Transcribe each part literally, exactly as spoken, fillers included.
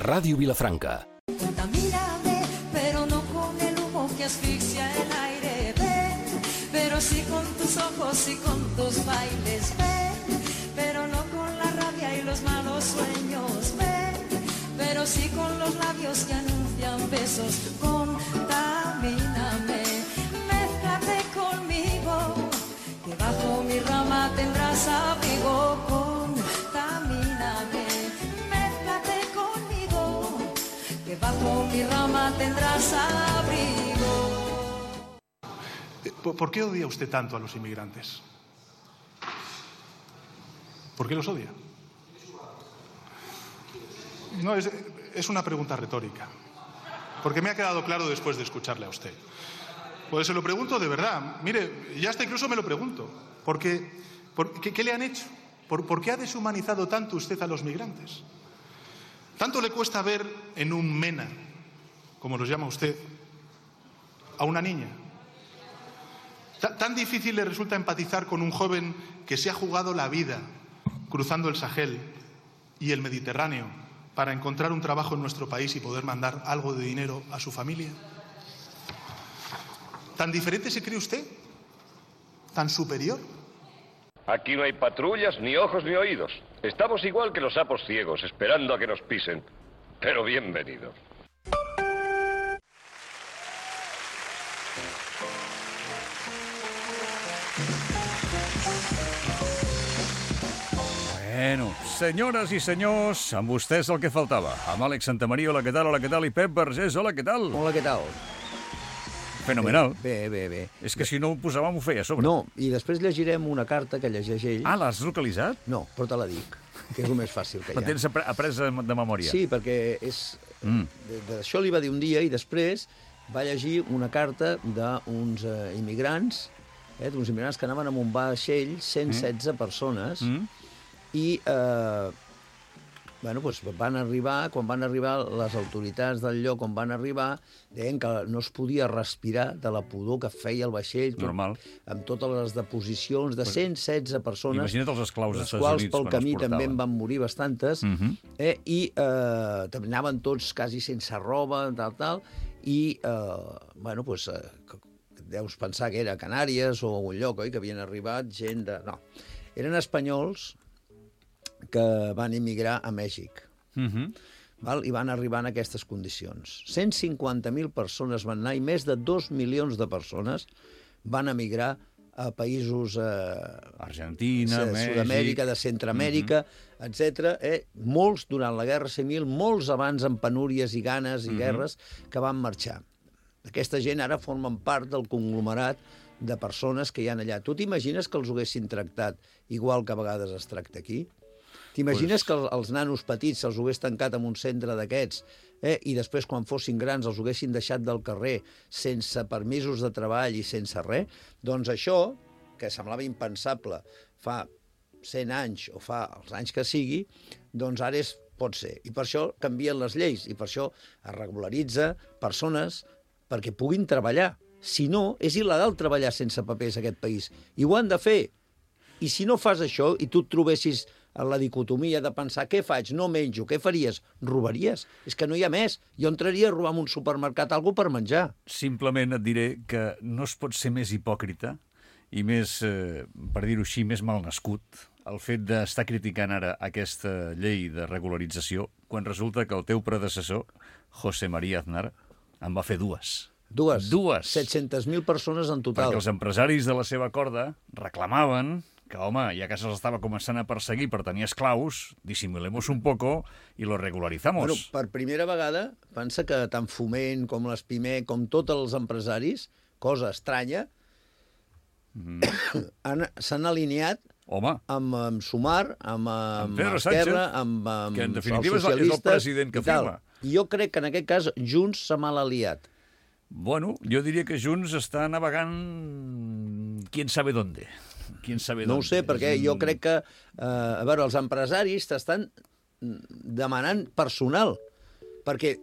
Radio Vilafranca. Contamíname, pero no con el humo que asfixia el aire, ven, pero sí con tus ojos y con tus bailes, ven, pero no con la rabia y los malos sueños, ven, pero sí con los labios que anuncian besos. Contamíname, mézclate conmigo, que bajo mi rama tendrás abrigo. Contamíname, mézclate conmigo, que bajo mi rama tendrás abrigo. ¿Por qué odia usted tanto a los inmigrantes? ¿Por qué los odia? No, es, es una pregunta retórica, porque me ha quedado claro después de escucharle a usted. Pues se lo pregunto de verdad. Mire, ya hasta incluso me lo pregunto. Porque, por, ¿qué, ¿Qué le han hecho? ¿Por, ¿Por qué ha deshumanizado tanto usted a los migrantes? ¿Tanto le cuesta ver en un mena, como los llama usted, a una niña? ¿Tan difícil le resulta empatizar con un joven que se ha jugado la vida cruzando el Sahel y el Mediterráneo para encontrar un trabajo en nuestro país y poder mandar algo de dinero a su familia? ¿Tan diferente se cree usted? ¿Tan superior? Aquí no hay patrullas, ni ojos, ni oídos. Estamos igual que los sapos ciegos, esperando a que nos pisen. Pero bienvenido. Bueno, senyores i senyors, amb vostès el que faltava. Amb Àlex Santamaria, hola, què tal? Hola, què tal? I Pep Vergés, hola, què tal? Hola, què tal? Fenomenal. Bé, bé, bé. És que si no ho posàvem ho feia a sobre. No, i després llegirem una carta que llegeix ell. Ah, l'has localitzat? No, però te la dic, que és el més fàcil que hi ha. La tens apre apresa de memòria? Sí, perquè és... Mm. D'això li va dir un dia i després va llegir una carta d'uns uh, immigrants, eh, d'uns immigrants que anaven amb un vaixell, cent setze mm. persones, mm. i eh, bueno, doncs van arribar, quan van arribar les autoritats del lloc on van arribar, deien que no es podia respirar de la pudor que feia el vaixell, tot, amb totes les deposicions de cent setze persones, imagina't els esclaus les quals pel camí també en van morir bastantes, uh -huh. eh, i eh, també anaven tots quasi sense roba, tal, tal, i eh, bueno, doncs, eh, deus pensar que era a Canàries o a algun lloc, oi? Que havien arribat gent de... No, eren espanyols que van emigrar a Mèxic. Uh-huh. Val? I van arribar en aquestes condicions. cent cinquanta mil persones van anar i més de dos milions de persones van emigrar a països... Eh, Argentina, de Mèxic... Sud-amèrica, de Centroamèrica, uh-huh. etcètera. Eh? Molts durant la Guerra Civil, molts abans amb penúries i ganes i uh-huh. guerres que van marxar. Aquesta gent ara formen part del conglomerat de persones que hi ha allà. Tu t'imagines que els ho haguessin tractat igual que a vegades es tracta aquí? T'imagines pues... que els nanos petits se'ls hagués tancat en un centre d'aquests eh, i després, quan fossin grans, els haguessin deixat del carrer sense permisos de treball i sense res? Doncs això, que semblava impensable fa cent anys o fa els anys que sigui, doncs ara és, pot ser. I per això canvien les lleis i per això es regularitza persones perquè puguin treballar. Si no, és il·legal treballar sense papers a aquest país. I ho han de fer. I si no fas això i tu et trobessis en la dicotomia de pensar què faig, no menjo, què faries? Robaries. És que no hi ha més. Jo entraria a robar en un supermercat alguna per menjar. Simplement et diré que no es pot ser més hipòcrita i més, eh, per dir-ho així, més malnascut el fet d'estar criticant ara aquesta llei de regularització quan resulta que el teu predecessor, José María Aznar, en va fer dues. Dues? Dues. set-centes mil persones en total. Perquè els empresaris de la seva corda reclamaven que, home, ja que se'ls estava començant a perseguir per tenir esclaus, dissimulemos un poco i lo regularizamos. Bueno, per primera vegada, pensa que tant Foment com l'Espimec, com tots els empresaris, cosa estranya, mm. s'han alineat Home. amb, amb Sumar, amb, amb, amb Esquerra, amb, amb que en definitiva els socialistes és el president que firma. I jo crec que en aquest cas Junts s'ha mal aliat. Bueno, jo diria que Junts està navegant quién sabe dónde. Quién sabe no dónde. ho sé, perquè un... jo crec que eh, a veure, els empresaris t'estan demanant personal perquè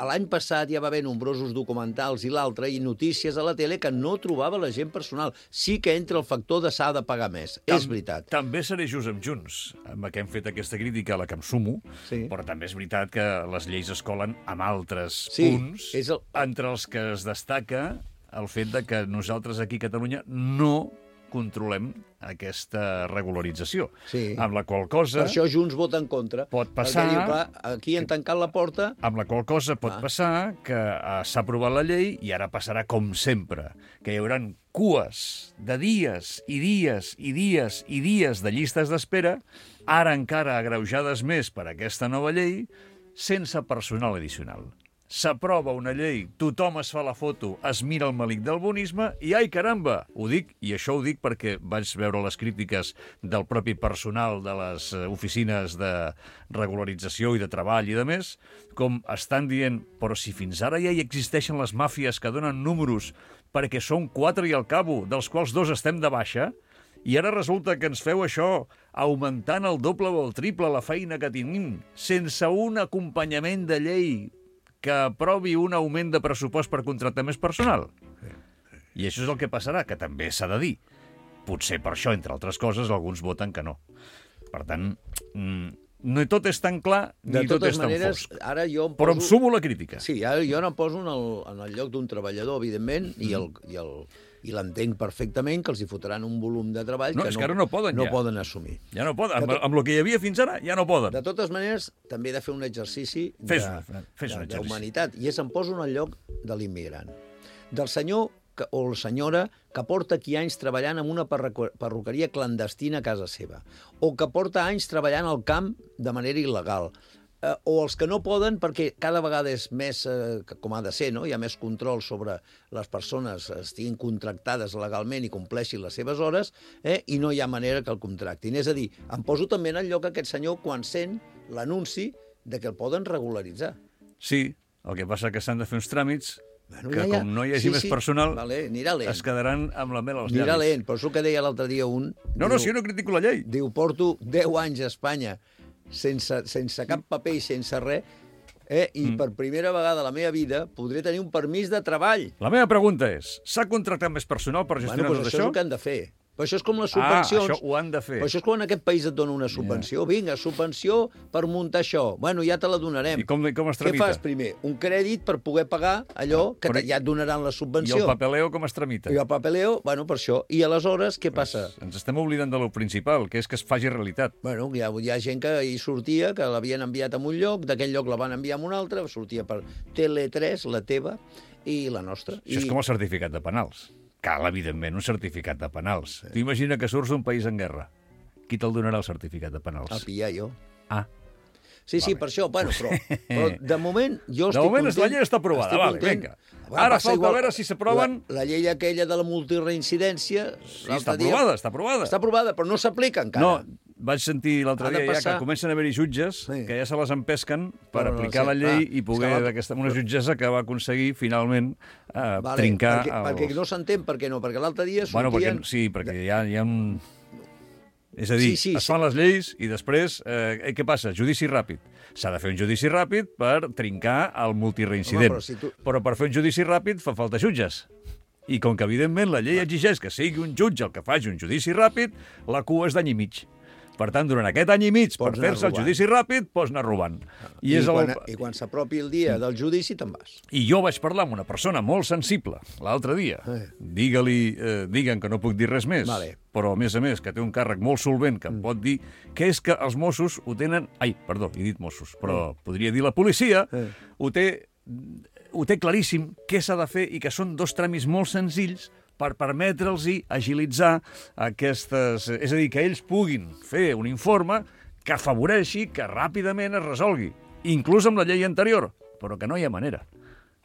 l'any passat ja va haver nombrosos documentals i l'altre, i notícies a la tele que no trobava la gent personal. Sí que entra el factor de s'ha de pagar més, Tam és veritat. També seré just amb Junts, amb què hem fet aquesta crítica, a la que em sumo, Sí. però també és veritat que les lleis es colen amb altres Sí, punts, és el- entre els que es destaca el fet de que nosaltres aquí a Catalunya no controlem aquesta regularització. Sí. Amb la qual cosa... Per això Junts vota en contra. Pot passar- Perquè diu, clar, aquí han tancat la porta. Amb la qual cosa pot Ah. passar que eh, s'ha aprovat la llei i ara passarà com sempre, que hi haurà cues de dies i dies i dies i dies de llistes d'espera, ara encara agreujades més per aquesta nova llei, sense personal addicional. S'aprova una llei, tothom es fa la foto, es mira el malic del bonisme i, ai, caramba! Ho dic, i això ho dic perquè vaig veure les crítiques del propi personal de les eh, oficines de regularització i de treball i de més, com estan dient, però si fins ara ja hi existeixen les màfies que donen números perquè són quatre i al cabo, dels quals dos estem de baixa, i ara resulta que ens feu això augmentant el doble o el triple la feina que tenim, sense un acompanyament de llei que aprovi un augment de pressupost per contractar més personal. I això és el que passarà, que també s'ha de dir. Potser per això, entre altres coses, alguns voten que no. Per tant, no tot és tan clar De ni tot totes és tan maneres, fosc. ara jo em Però em poso... sumo la crítica. Sí, ara jo no em poso en el, en el lloc d'un treballador, evidentment, i el, i el, i l'entenc perfectament, que els hi fotran un volum de treball No, que és que ara no poden, no ja. poden assumir. Ja no poden. Amb, De tot- amb el que hi havia fins ara, ja no poden. De totes maneres, també he de fer un exercici de- Fes un- fes un de- exercici. d'humanitat, i és em poso en el lloc de l'immigrant. Del senyor que, o la senyora que porta aquí anys treballant en una perruque- perruqueria clandestina a casa seva, o que porta anys treballant al camp de manera il·legal, eh, o els que no poden perquè cada vegada és més, eh, que- com ha de ser, no? Hi ha més control sobre les persones estiguin contractades legalment i compleixin les seves hores, eh, i no hi ha manera que el contractin. És a dir, em poso també en el lloc aquest senyor quan sent l'anunci de que el poden regularitzar. Sí, el que passa que s'han de fer uns tràmits Bueno, que ja, ja. com no hi hagi Sí, més sí. personal, Vale, anirà lent. es quedaran amb la mel als Anirà llavis. lent, però és el que deia l'altre dia un... No, no, si jo no critico la llei. Diu, porto deu anys a Espanya sense, sense cap paper i sense res, eh? i mm. per primera vegada a la meva vida podré tenir un permís de treball. La meva pregunta és, s'ha contractat més personal per gestionar Bueno, doncs tot això és això? el que han de fer. Però això és com les Ah, subvencions. això ho han de fer. Però això és quan en aquest país et dona una subvenció. Vinga, subvenció per muntar això. Bueno, ja te la donarem. I com, com es Què tramita? fas primer? Un crèdit per poder pagar allò que Però te, ja et donaran la I subvenció. el papeleo com es tramita? I el papeleo, bueno, per això. I aleshores, què passa? Ens estem oblidant de lo principal, que és que es faci realitat. Bueno, hi ha, hi ha gent que hi sortia, que l'havien enviat a un lloc, d'aquell lloc la van enviar a un altre, sortia per Tele tres, la teva, i la nostra. Això I... és com el certificat de penals. Cal, evidentment, un certificat de penals. Sí. Tu imagina que surts d'un país en guerra. Qui te'l donarà el certificat de penals? El pillar jo. Ah, Sí, sí, Vale. per això, bueno, però, però de moment jo de estic moment content. la llei està aprovada. estic Vale, content. vinga. Bueno, Ara passa falta igual, veure si s'aproven... La, la llei aquella de la multireincidència... Sí, l'altre està dia- aprovada, està aprovada. Està aprovada, però no s'aplica encara. No, vaig sentir l'altre Ha de dia ja passar. que comencen a haver-hi jutges Sí. que ja se les empesquen per Però no aplicar sé. la llei Ah, i poder... és que l'altre- Aquesta, una jutgessa que va aconseguir, finalment, eh, Vale, trincar... perquè, els... perquè no s'entén per què no, perquè l'altre dia Bueno, sortien... perquè, sí, perquè hi ha, hi ha un... És a dir, Sí, sí, es sí. fan les lleis i després, eh, què passa? Judici ràpid. S'ha de fer un judici ràpid per trincar el multireincident. Home, però si tu- Però per fer un judici ràpid fa falta jutges. I com que, evidentment, la llei exigeix que sigui un jutge el que faci un judici ràpid, la cua és d'any i mig. Per tant, durant aquest any i mig, per Pots anar fer-se el robant. judici ràpid, pots anar robant. I, és quan, el... I quan s'apropi el dia del judici, te'n vas. I jo vaig parlar amb una persona molt sensible l'altre dia. Eh. Digue-li, eh, diguen que no puc dir res més, Vale. però a més a més que té un càrrec molt solvent que em pot dir que és que els Mossos ho tenen... Ai, perdó, he dit Mossos, però podria dir la policia, Eh. ho té, ho té claríssim què s'ha de fer i que són dos tràmits molt senzills per permetre'ls agilitzar aquestes... És a dir, que ells puguin fer un informe que afavoreixi que ràpidament es resolgui, inclús amb la llei anterior, però que no hi ha manera,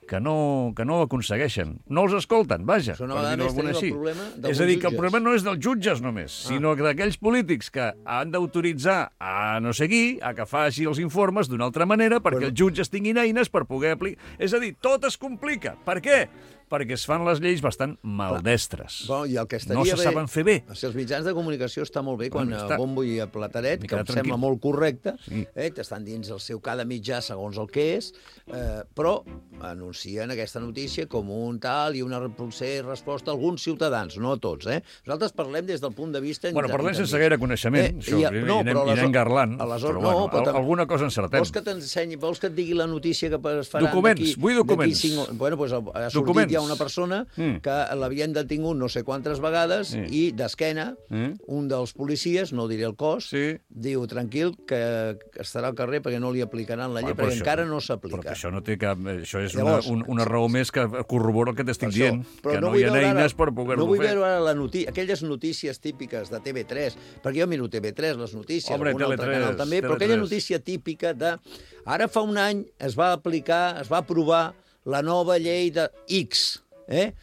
que no, que no ho aconsegueixen. No els escolten, vaja, Això una per vegada dir-ho més d'alguna tenim el així. problema d'alguns És a dir, que el jutges. problema no és dels jutges només, Ah. sinó que d'aquells polítics que han d'autoritzar a no sé qui a que faci els informes d'una altra manera perquè Bueno. els jutges tinguin eines per poder aplicar... És a dir, tot es complica. Per què? perquè es fan les lleis bastant maldestres. Bueno, i el que estaria no se bé, saben fer bé. Si els mitjans de comunicació està molt bé quan Bueno, a està. bombo i a plataret, que em tranquil. sembla molt correcte, Sí. eh, t'estan dins el seu cada mitjà segons el que és, eh, però anuncien aquesta notícia com un tal i una potser resposta a alguns ciutadans, no a tots. Eh? Nosaltres parlem des del punt de vista... Bueno, parlem intermedi. sense gaire coneixement, això, i, no, anem, però i anem garlant, aleshores, però no, bueno, però al- alguna cosa encertem. Vols que t'ensenyi, vols que et digui la notícia que es faran Documents, d'aquí... vull documents. d'aquí Cinc... Bueno, doncs ha sortit Documents. ja una persona Mm. que l'havien detingut no sé quantes vegades Sí. i d'esquena Mm. un dels policies, no diré el cos, Sí. diu, tranquil, que estarà al carrer perquè no li aplicaran la llei, Bueno, però perquè això- encara no Però s'aplica. que això no té cap... Això és Llavors, una, una, una raó més que corrobora el que t'estic Per això. dient, Però que no, vull hi ha veure eines ara- per poder-ho No vull fer. veure ara la noti aquelles notícies típiques de T V tres, perquè jo miro T V tres, les notícies, Hombre, algun altre Tele tres, canal també, però Tele aquella tres. notícia típica de... Ara fa un any es va aplicar, es va aprovar la nova llei de X, eh?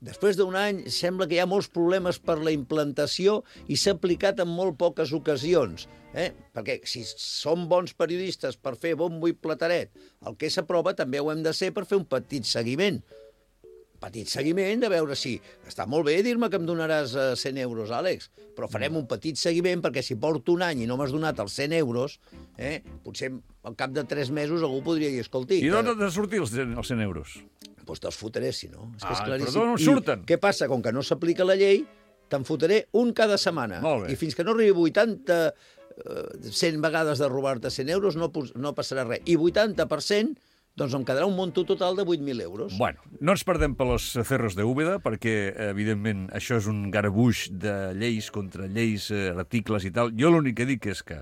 Després d'un any sembla que hi ha molts problemes per la implantació i s'ha aplicat en molt poques ocasions. Eh? Perquè si som bons periodistes per fer bombo i plataret, el que s'aprova també ho hem de ser per fer un petit seguiment. Petit seguiment de veure si... Està molt bé dir-me que em donaràs eh, cent euros, Àlex, però farem un petit seguiment perquè si porto un any i no m'has donat els cent euros, eh, potser al cap de tres mesos algú podria dir, escolti... I d'on que- han de sortir els, els cent euros? Doncs te'ls fotré, si no. És que és Ah, claríssim. però d'on I surten? què passa? Com que no s'aplica la llei, te'n fotré un cada setmana. Molt bé. I fins que no arribi vuitanta, eh, cent vegades de robar-te cent euros, no, pos- no passarà res. I vuitanta per cent, doncs em quedarà un monto total de vuit mil euros. Bueno, no ens perdem per los cerros de Úbeda, perquè, evidentment, això és un garbuix de lleis contra lleis, eh, articles i tal. Jo l'únic que dic és que,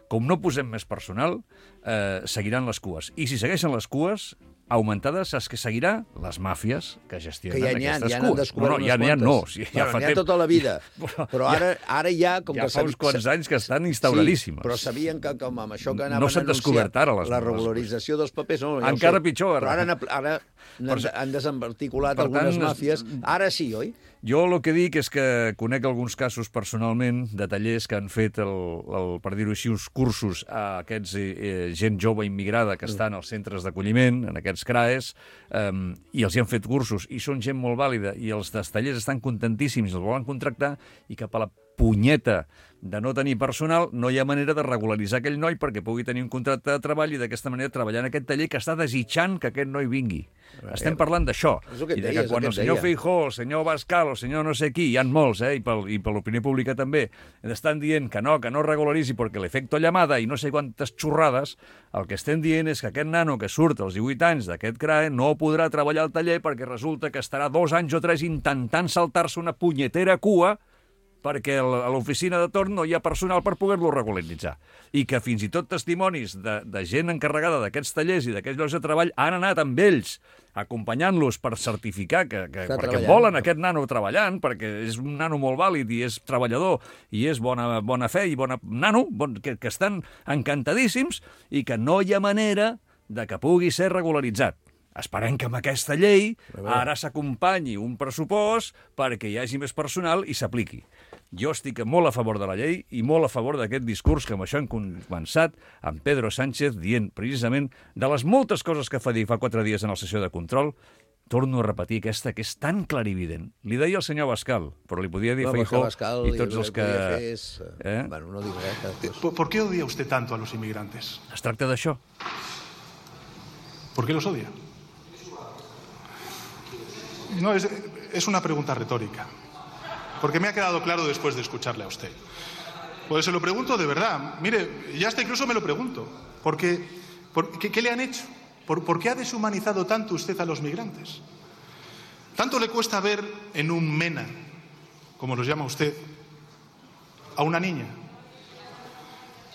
com no posem més personal, eh, seguiran les cues. I si segueixen les cues augmentades, saps que seguirà? Les màfies que gestionen Que ja n'hi ha, aquestes ja n'han cues. descobert no, no, unes ja n'hi ha, no. quantes. Sí, ja Bueno, fa n'hi ha temps. tota la vida. Però Però ja- ara, ara ja... Com ja que fa uns quants anys que estan instauradíssimes. Sí, però sabien que com amb això que No anaven s'han a anunciar descobert ara les la les- regularització dels papers... No, ja ho Encara sé. pitjor, ara. Però ara, han apl- ara Per han, això- han desembarticulat per algunes tant, es- màfies. Ara sí, oi? Jo el que dic és que conec alguns casos personalment de tallers que han fet, el, el, per dir-ho així, uns cursos a aquests eh, eh, gent jove immigrada que estan als centres d'acolliment, en aquests C R A Es, eh, i els hi han fet cursos, i són gent molt vàlida, i els dels tallers estan contentíssims, els volen contractar, i cap a la punyeta de no tenir personal, no hi ha manera de regularitzar aquell noi perquè pugui tenir un contracte de treball i d'aquesta manera treballar en aquest taller que està desitjant que aquest noi vingui. Estem parlant d'això. És el que et I de deia, que és el quan que el et senyor deia. Feijó, el senyor Bascal, el senyor no sé qui, hi ha molts, eh, i per, i per l'opinió pública també, estan dient que no, que no regularitzi perquè l'efecte llamada i no sé quantes xorrades, el que estem dient és que aquest nano que surt als divuit anys d'aquest C R A E no podrà treballar al taller perquè resulta que estarà dos anys o tres intentant saltar-se una punyetera cua perquè a l'oficina de torn no hi ha personal per poder-lo regularitzar. I que fins i tot testimonis de, de gent encarregada d'aquests tallers i d'aquests llocs de treball han anat amb ells acompanyant-los per certificar que, que Està perquè treballant. volen aquest nano treballant, perquè és un nano molt vàlid i és treballador i és bona, bona fe i bona nano, bon, que, que estan encantadíssims i que no hi ha manera de que pugui ser regularitzat. Esperem que amb aquesta llei ara s'acompanyi un pressupost perquè hi hagi més personal i s'apliqui. Jo estic molt a favor de la llei i molt a favor d'aquest discurs que amb això hem començat amb Pedro Sánchez dient precisament de les moltes coses que fa dir fa quatre dies en la sessió de control. Torno a repetir aquesta que és tan clarivident. Li deia el senyor Bascal, però li podia dir No, Feijó Bascal i tots els que... Fer és, Eh? Bueno, no dic res. Que... ¿Por, por qué odia usted tanto a los inmigrantes? Es tracta d'això. ¿Por qué los odia? No, es, es una pregunta retórica. Porque me ha quedado claro después de escucharle a usted. Pues se lo pregunto de verdad. Mire, ya hasta incluso me lo pregunto. Porque, por, ¿qué, ¿Qué le han hecho? ¿Por, ¿Por qué ha deshumanizado tanto usted a los migrantes? ¿Tanto le cuesta ver en un MENA, como los llama usted, a una niña?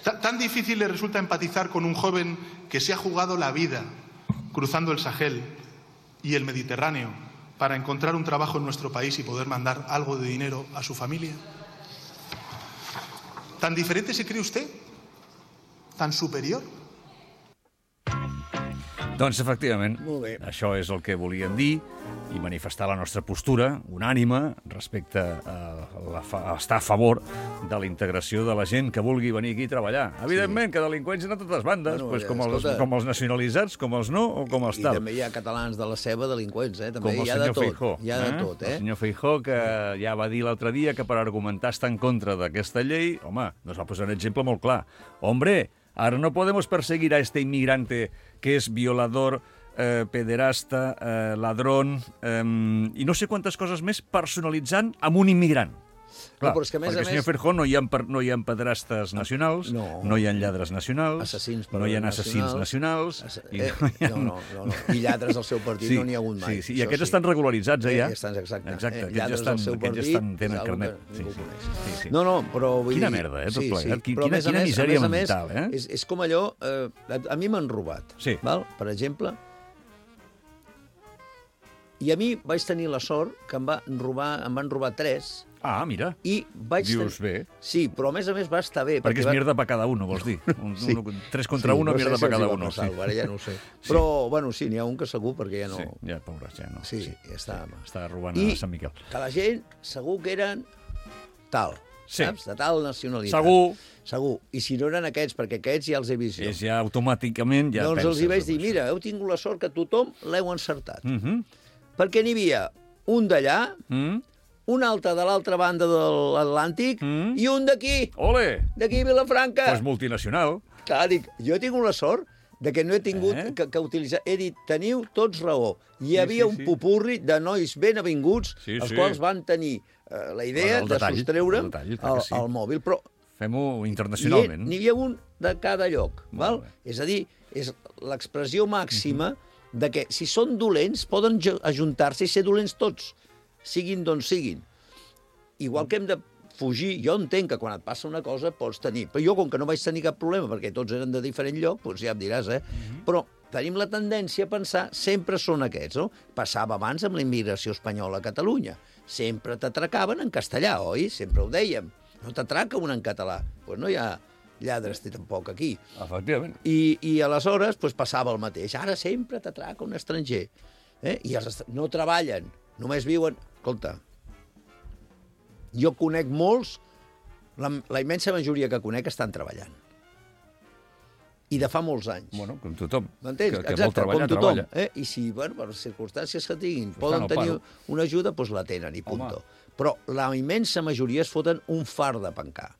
Ta- ¿Tan difícil le resulta empatizar con un joven que se ha jugado la vida cruzando el Sahel y el Mediterráneo para encontrar un trabajo en nuestro país y poder mandar algo de dinero a su familia? ¿Tan diferente se cree usted? ¿Tan superior? Doncs, efectivament, Molt bé. això és el que volíem dir i manifestar la nostra postura unànime respecte a, la fa, a estar a favor de la integració de la gent que vulgui venir aquí a treballar. Evidentment, sí. que delinqüents hi ha a totes bandes, Bueno, pues, com, escolta, els, com els nacionalitzats, com els no o com els I tal. també hi ha catalans de la ceba delinqüents, eh? També Com el hi ha de senyor tot. Feijó. Hi ha de tot, eh? El senyor Feijó, que ja va dir l'altre dia que per argumentar estar en contra d'aquesta llei, home, nos va posar un exemple molt clar. Hombre, ahora no podemos perseguir a este inmigrante que es violador, eh, pederasta, eh, ladrón, eh, i no sé quantes coses més personalitzant amb un immigrant. Clar, No, però és que, a més perquè, a senyor més- Feijó, no hi ha, per- no hi ha pedrastes nacionals, No. no hi ha lladres nacionals, Assassins per no hi ha assassins nacionals, Assa- i eh, no hi ha... no, no, no, no. I lladres al seu partit no n'hi ha hagut mai. Sí, sí, i Això aquests sí. estan regularitzats, eh, ja? Eh, estan, exacte. Exacte, Eh, aquests lladres ja estan, al seu aquests ja partit estan, tenen és algo carnet. que Sí, ningú sí, coneix. sí, sí. No, no, però vull Quina dir... merda, eh, tot plegat. Quina- Però a més a quina més- misèria a més a més, mental, eh? És, és com allò... Eh, a, a mi m'han robat, Sí. val? Per exemple... I a mi vaig tenir la sort que em, va robar, em van robar tres Ah, mira, i vaig dius tenir... bé. Sí, però a més a més va estar bé. Perquè és va... mierda per cada uno, vols dir? Un, Sí. un, tres contra Sí, uno, no sé mierda si per els cada hi va uno. passar, Sí. Ara ja no ho sé. Sí. Però, bueno, sí, n'hi ha un que segur, perquè ja no... Sí, ja, pobres, ja no. Sí, ja està. Està robant I a Sant Miquel. que la gent segur que eren tal, Sí. saps? De tal nacionalitat. Segur. Segur. I si no eren aquests, perquè aquests ja els he vist jo. És ja automàticament... Ja doncs penses els hi vaig en dir, això. mira, heu tingut la sort que tothom l'heu encertat. Mhm. Perquè n'hi havia un d'allà, Mm? un altre de l'altra banda de l'Atlàntic Mm. i un d'aquí, Ole! d'aquí a Vilafranca. Pues multinacional. Clar, dic, jo he tingut la sort de que no he tingut Eh? que, que utilitzar... He dit, teniu tots raó. Hi Sí, havia sí, un sí. popurri de nois ben avinguts, Sí, els sí. quals van tenir eh, la idea El de detall, sostreure'm el detall, clar el, que sí. el mòbil. Però Fem-ho n'hi internacionalment. n'hi havia un de cada lloc. Molt Val? bé. És a dir, és l'expressió màxima de que si són dolents poden jo- ajuntar-se i ser dolents tots, siguin d'on siguin. Igual que hem de fugir, jo entenc que quan et passa una cosa pots tenir, però jo com que no vaig tenir cap problema perquè tots eren de diferent lloc, doncs ja em diràs, eh? Però tenim la tendència a pensar sempre són aquests, no? Passava abans amb la immigració espanyola a Catalunya. Sempre t'atracaven en castellà, oi? Sempre ho dèiem. No t'atraca un en català. Doncs pues no hi ha lladres tampoc aquí. Efectivament. I, i aleshores pues, passava el mateix. Ara sempre t'atraca un estranger. Eh? I els est... no treballen, només viuen... Escolta, jo conec molts, la, la immensa majoria que conec estan treballant. I de fa molts anys. Bueno, com tothom. M'entens? Que, que vol Exacte, treballar, com tothom. treballa. Eh? I si, bueno, per les circumstàncies que tinguin, Estan poden al tenir paro. una ajuda, doncs la tenen, i punto. Però la immensa majoria es foten un far de pencar.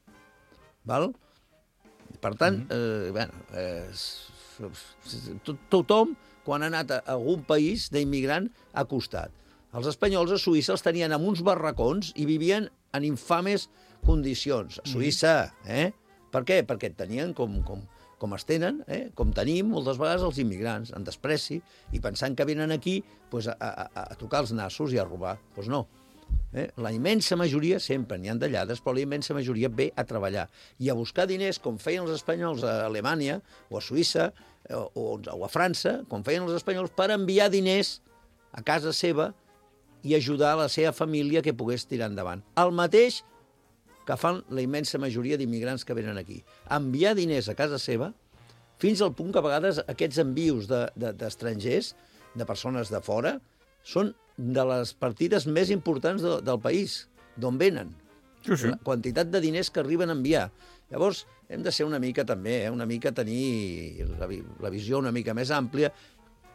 Val? Per tant, Mhm. eh, bueno, eh, s- s- to- tothom, quan ha anat a algun país d'immigrant, ha costat. Els espanyols a Suïssa els tenien en uns barracons i vivien en infames condicions. A Suïssa, eh? Per què? Perquè tenien com, com, com es tenen, eh? com tenim moltes vegades els immigrants, en despreci, i pensant que venen aquí pues, a, a, a tocar els nassos i a robar. Doncs pues no. Eh? La immensa majoria, sempre n'hi ha de lladres, però la immensa majoria ve a treballar i a buscar diners, com feien els espanyols a Alemanya o a Suïssa eh, o, o a França, com feien els espanyols, per enviar diners a casa seva i ajudar la seva família que pogués tirar endavant. El mateix que fan la immensa majoria d'immigrants que venen aquí. Enviar diners a casa seva fins al punt que a vegades aquests envios d'estrangers, de, de, de persones de fora, són de les partides més importants de, del país, d'on venen. Sí, sí. La quantitat de diners que arriben a enviar. Llavors, hem de ser una mica també, eh? una mica tenir la, vi la visió una mica més àmplia.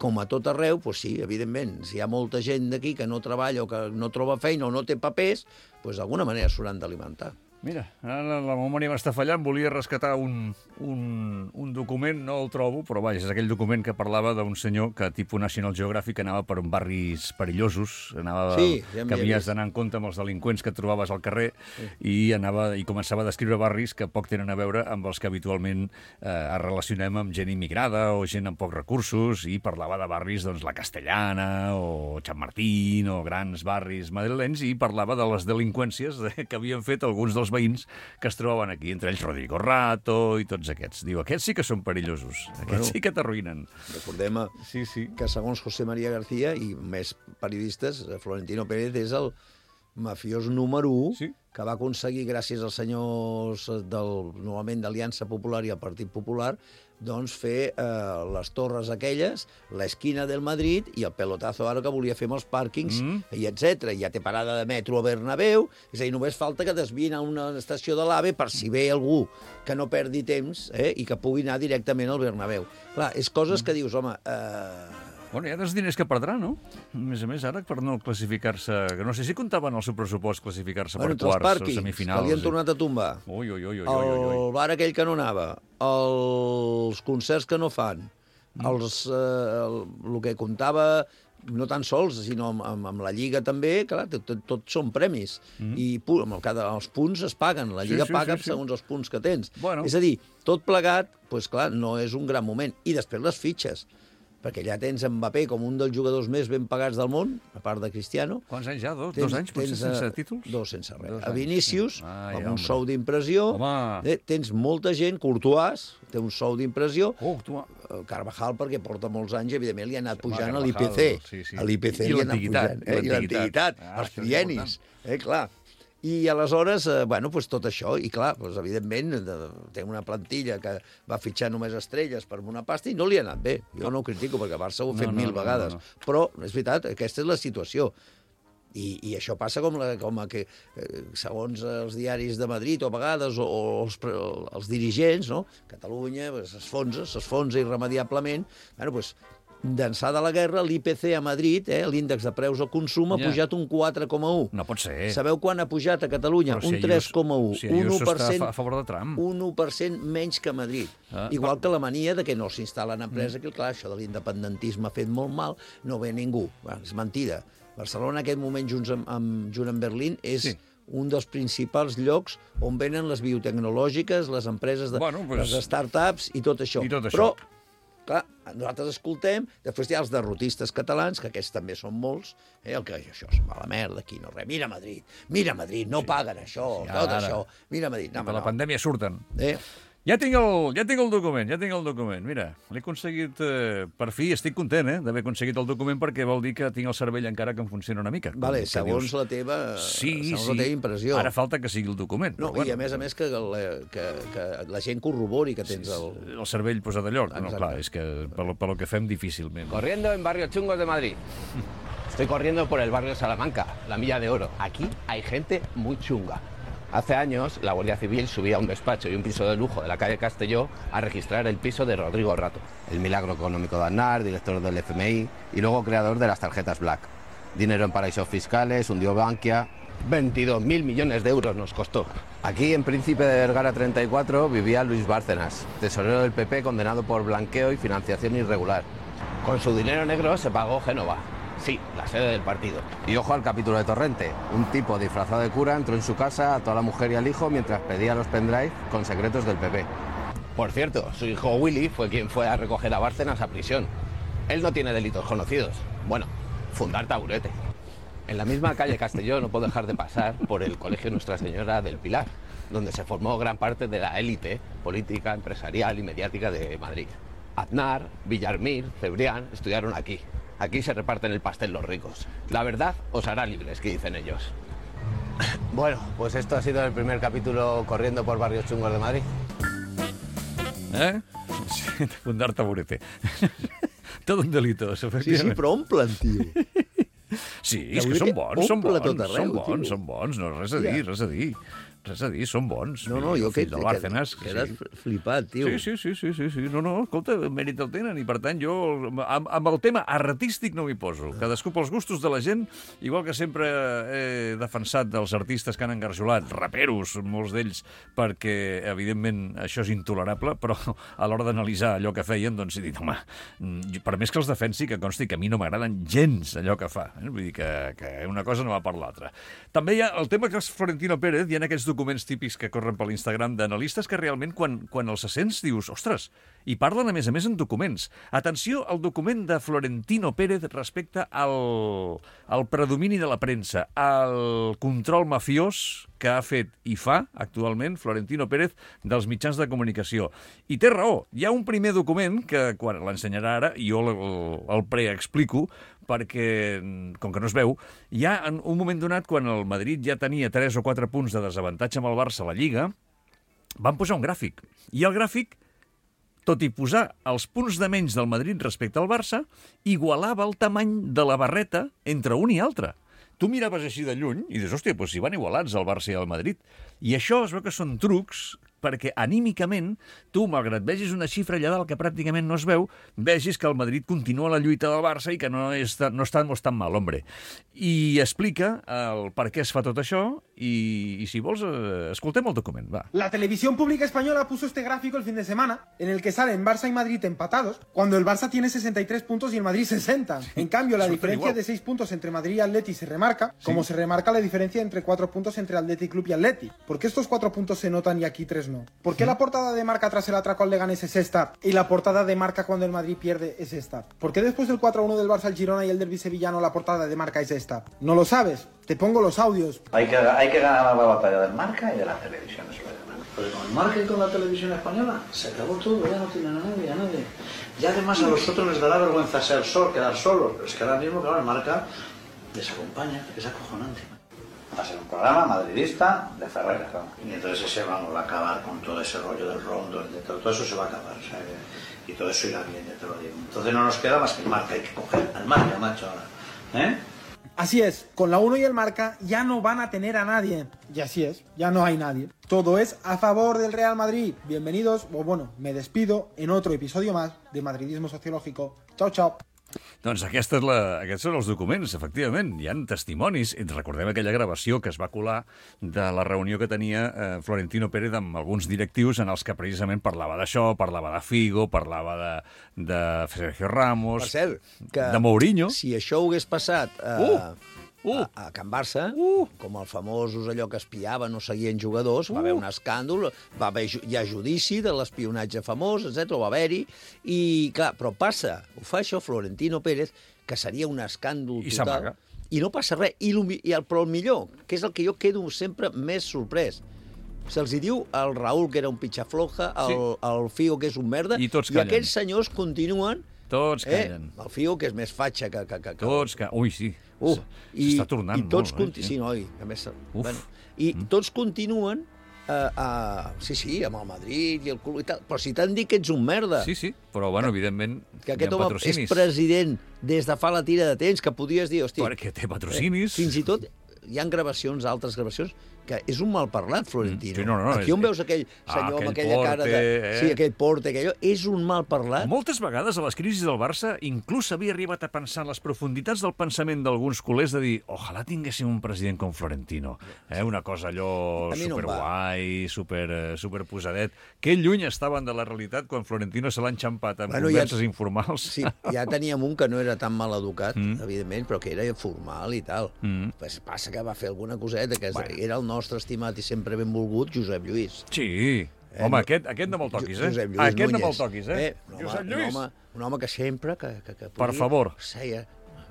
Com a tot arreu, doncs sí, evidentment, si hi ha molta gent d'aquí que no treballa o que no troba feina o no té papers, doncs d'alguna manera s'hauran d'alimentar. Mira, ara la, la memòria m'està fallant, volia rescatar un, un, un document, no el trobo, però vaja, és aquell document que parlava d'un senyor que, tipus National Geographic, anava per barris perillosos, anava, Sí, ja m'hi que he havies vist. d'anar en compte amb els delinqüents que et trobaves al carrer, sí. i, anava, i començava a descriure barris que poc tenen a veure amb els que habitualment eh, es relacionem amb gent immigrada o gent amb pocs recursos, i parlava de barris, doncs, la Castellana o Sant Martín o grans barris madrilenys, i parlava de les delinqüències eh, que havien fet alguns dels veïns que es trobaven aquí, entre ells Rodrigo Rato i tots aquests. Diu, aquests sí que són perillosos, aquests Bueno. sí que t'arruïnen. Recordem Sí, sí. que segons José María García i més periodistes, Florentino Pérez és el, mafiós número u, Sí. que va aconseguir, gràcies als senyors del, novament d'Aliança Popular i al Partit Popular, doncs fer eh, les torres aquelles, l'esquina del Madrid i el pelotazo ara que volia fer amb els pàrquings, mm. i etcètera. Ja té parada de metro a Bernabéu, és a dir, només falta que desviïn a una estació de l'AVE per si ve algú que no perdi temps eh, i que pugui anar directament al Bernabéu. Clar, és coses que dius, home... Eh... Bueno, hi ha dels diners que perdrà, no? A més a més, ara, per no classificar-se... Que no sé si comptaven el seu pressupost classificar-se bueno, per quarts o pàrquings, semifinals. que li han tornat a tombar. Ui, ui, ui, ui, El ui, ui. bar aquell que no anava, els concerts que no fan, mm. els, eh, el, el que comptava no tan sols, sinó amb, amb, amb la Lliga també, clar, tot, tot, tot són premis. Mm. I pu amb el, cada, els punts es paguen, la Lliga sí, sí, paga sí, sí. segons els punts que tens. Bueno. És a dir, tot plegat, doncs clar, no és un gran moment. I després les fitxes, perquè ja tens Mbappé com un dels jugadors més ben pagats del món, a part de Cristiano. Quants anys ja? Dos, tens, dos anys, potser, tens, sense títols? Dos sense res. Dos a Vinícius, Ai, amb un home. sou d'impressió. Eh, tens molta gent, Courtois, té un sou d'impressió. Oh, tu... Carvajal, perquè porta molts anys, evidentment, li ha anat pujant Home, a l'I P C. sí, sí. A l'I P C I li ha anat l'antiguitat, pujant. Eh? I l'antiguitat, Ah, els això és triennis. Eh, clar. I aleshores, eh, bueno, pues tot això, i clar, pues, evidentment, de, té una plantilla que va fitxar només estrelles per una pasta i no li ha anat bé. Jo no ho critico, perquè Barça ho ha fet No, no, mil no, vegades. no, no. Però, és veritat, aquesta és la situació. I, i això passa com, la, com a que, eh, segons els diaris de Madrid, o a vegades, o, o els, els dirigents, no? Catalunya s'esfonsa, s'esfonsa irremediablement. Bueno, doncs, d'ençà de la guerra, l'I P C a Madrid, eh, l'índex de preus al consum, ha Ja. pujat un quatre coma un. No pot ser. Sabeu quan ha pujat a Catalunya? Però si un tres coma un. Si un Ayuso u per cent, està a favor de Trump. un u per cent menys que Madrid. Ah, Igual que la mania de que no s'instal·len empreses, mm. que clar, això de l'independentisme ha fet molt mal, no ve ningú. Bueno, és mentida. Barcelona, en aquest moment, junts amb, amb, junt amb Berlín, és... Sí. un dels principals llocs on venen les biotecnològiques, les empreses, de, Bueno, pues... les startups i tot això. I tot això. Però, clar, nosaltres escoltem, després hi ha els derrotistes catalans, que aquests també són molts, eh, el que això és mala merda, aquí no res. Mira Madrid, mira Madrid, no sí. paguen això, Sí, tot ara. això. Mira Madrid. No, De home, la no. pandèmia surten. Eh? Ja tinc, el, ja tinc el document, ja tinc el document. Mira, l'he aconseguit, eh, per fi, estic content, eh, d'haver aconseguit el document perquè vol dir que tinc el cervell encara que em funciona una mica. Vale, que segons dius, la teva, sí, segons sí. la teva impressió. Ara falta que sigui el document. No, però, bueno, i a més a més que la, que, que la gent corrobori que tens el... El cervell posat a lloc. No, Exacte. clar, és que per, lo- per lo que fem difícilment. Corriendo en barrios chungos de Madrid. Estoy corriendo por el barrio Salamanca, la Milla de Oro. Aquí hay gente muy chunga. Hace años, la Guardia Civil subía a un despacho y un piso de lujo de la calle Castelló a registrar el piso de Rodrigo Rato, el milagro económico de Aznar, director del F M I y luego creador de las tarjetas Black. Dinero en paraísos fiscales, hundió Bankia... veintidós mil millones de euros nos costó. Aquí, en Príncipe de Vergara treinta y cuatro, vivía Luis Bárcenas, tesorero del P P condenado por blanqueo y financiación irregular. Con su dinero negro se pagó Génova. Sí, la sede del partido. Y ojo al capítulo de Torrente. Un tipo disfrazado de cura entró en su casa, ató a la mujer y al hijo mientras pedía los pendrive con secretos del P P. Por cierto, su hijo Willy fue quien fue a recoger a Bárcenas a prisión. Él no tiene delitos conocidos. Bueno, fundar taburete. En la misma calle Castelló no puedo dejar de pasar por el Colegio Nuestra Señora del Pilar, donde se formó gran parte de la élite política, empresarial y mediática de Madrid. Aznar, Villarmir, Cebrián estudiaron aquí. Aquí se reparten el pastel los ricos. La verdad os hará libres, que dicen ellos. Bueno, pues esto ha sido el primer capítulo corriendo por barrios chungos de Madrid. Eh? Sí, fundar taburete. Tot un delito, Sí, sí, efectivament. però omplen, tio. Sí, és que Taburete són bons, són omple bons, tot arreu, són bons, tio. són bons, no res a dir, res a dir. Res a dir, són bons. No, no, Fill- jo que, fill del que, Bárcenas, que quedes sí. flipat, tio. Sí, sí, sí, sí, sí, sí. No, no, escolta, mèrit el tenen i per tant jo amb, amb el tema artístic no m'hi poso. Cadascú pels gustos de la gent, igual que sempre he defensat dels artistes que han engarjolat, raperos, molts d'ells, perquè evidentment això és intolerable, però a l'hora d'analitzar allò que feien, doncs he dit, home, per més que els defensi, que consti que a mi no m'agraden gens allò que fa. Eh? Vull dir que, que una cosa no va per l'altra. També hi ha el tema que és Florentino Pérez, hi ha aquests documents típics que corren per l'Instagram d'analistes que realment quan, quan els sents dius, ostres, i parlen a més a més en documents. Atenció al document de Florentino Pérez respecte al, al predomini de la premsa, al control mafiós que ha fet i fa actualment Florentino Pérez dels mitjans de comunicació. I té raó. Hi ha un primer document que, quan l'ensenyarà ara, i jo el, el preexplico, perquè, com que no es veu, hi ha en un moment donat, quan el Madrid ja tenia tres o quatre punts de desavantatge amb el Barça a la Lliga, van posar un gràfic. I el gràfic, tot i posar els punts de menys del Madrid respecte al Barça, igualava el tamany de la barreta entre un i altre. Tu miraves així de lluny i dius, hòstia, doncs si van igualats el Barça i el Madrid. I això es veu que són trucs perquè anímicament tu, malgrat vegis una xifra allà dalt que pràcticament no es veu, vegis que el Madrid continua la lluita del Barça i que no, és, no està molt tan mal, hombre. I explica el per què es fa tot això i, i si vols, eh, escoltem el document, va. La televisión pública española puso este gráfico el fin de semana en el que salen Barça y Madrid empatados cuando el Barça tiene sesenta y tres puntos y el Madrid sesenta. Sí, en cambio, la diferencia igual de seis puntos entre Madrid y Atleti se remarca, sí, como se remarca la diferencia entre cuatro puntos entre Athletic Club y Atleti. ¿Por qué estos cuatro puntos se notan y aquí tres no? ¿Por qué la portada de Marca tras el atraco al Leganés es esta y la portada de Marca cuando el Madrid pierde es esta? ¿Por qué después del cuatro a uno del Barça al Girona y el derbi sevillano la portada de Marca es esta? ¿No lo sabes? Te pongo los audios. Hay que, hay que ganar la batalla del Marca y de la televisión española. Pero con el Marca y con la televisión española se acabó todo, ya no tienen a nadie, a nadie. Y además a los otros les dará vergüenza ser sol, quedar solos. Pero es que ahora mismo, claro, el Marca les acompaña, es acojonante. Va a ser un programa madridista de Ferrer, claro. Y entonces ese vamos a acabar con todo ese rollo del rondo, de todo, todo eso se va a acabar, o sea, y todo eso irá bien, ya te lo digo. Entonces no nos queda más que el Marca, hay que coger al Marca, macho, ahora. ¿Eh? Así es, con la uno y el Marca ya no van a tener a nadie. Y así es, ya no hay nadie. Todo es a favor del Real Madrid. Bienvenidos, o bueno, me despido en otro episodio más de Madridismo Sociológico. Chao, chao. Doncs aquesta és la, aquests són els documents, efectivament. Hi ha testimonis. Recordem aquella gravació que es va colar de la reunió que tenia eh, Florentino Pérez amb alguns directius en els que precisament parlava d'això, parlava de Figo, parlava de, de Sergio Ramos, per cert, que de Mourinho. Si això ho hagués passat a, Uh! Uh. a, a Can Barça, Uh. com els famosos allò que espiaven o seguien jugadors, va Uh. haver un escàndol, va haver, ju- hi ha judici de l'espionatge famós, etcètera, va haver-hi, i clar, però passa, ho fa això Florentino Pérez, que seria un escàndol I total, s'amaga. i no passa res, i, el, i el, però el millor, que és el que jo quedo sempre més sorprès, se'ls hi diu al Raúl, que era un pitxafloja, al, Sí. al Figo, que és un merda, I tots i callen. aquests senyors continuen. Tots Eh, callen. el Figo, que és més fatxa que... que, que, que... Tots callen. Ui, sí. Uh, S'està tornant i tots molt, conti... eh? Sí, noi, a més... Uf. Bueno, I mm. tots continuen uh, uh, sí, sí, amb el Madrid i el club i tal, però si t'han dit que ets un merda, Sí, sí, però, bueno, evidentment, que hi aquest ha home patrocinis. és president des de fa la tira de temps, que podies dir, hòstia... Perquè té patrocinis. Eh, fins i tot hi ha gravacions, altres gravacions, que és un malparlat, Florentino. Sí, no, no, no, Aquí on és- veus aquell Ah, senyor aquell amb aquella porte, cara de... eh? Sí, aquell porte, aquell... És un malparlat. Moltes vegades a les crisis del Barça inclús s'havia arribat a pensar en les profunditats del pensament d'alguns culers de dir ojalà tinguéssim un president com Florentino. Eh? Una cosa allò A mi no em superguai, super, eh, superposadet. Que lluny estaven de la realitat quan Florentino se l'ha enxampat amb Bueno, converses ja- informals. Sí, ja teníem un que no era tan mal educat, Mm. mm. evidentment, però que era formal i tal. Mm. Pues passa que va fer alguna coseta, que Bueno. bueno. era el nostre estimat i sempre benvolgut Josep Lluís. Sí. Eh, Home, no- aquest, aquest no me'l toquis, eh? Josep Lluís Aquest no Núñez. me'l toquis, eh? un, Josep home, Lluís, un, home, un home que sempre... Que, que, que Per favor. Seia,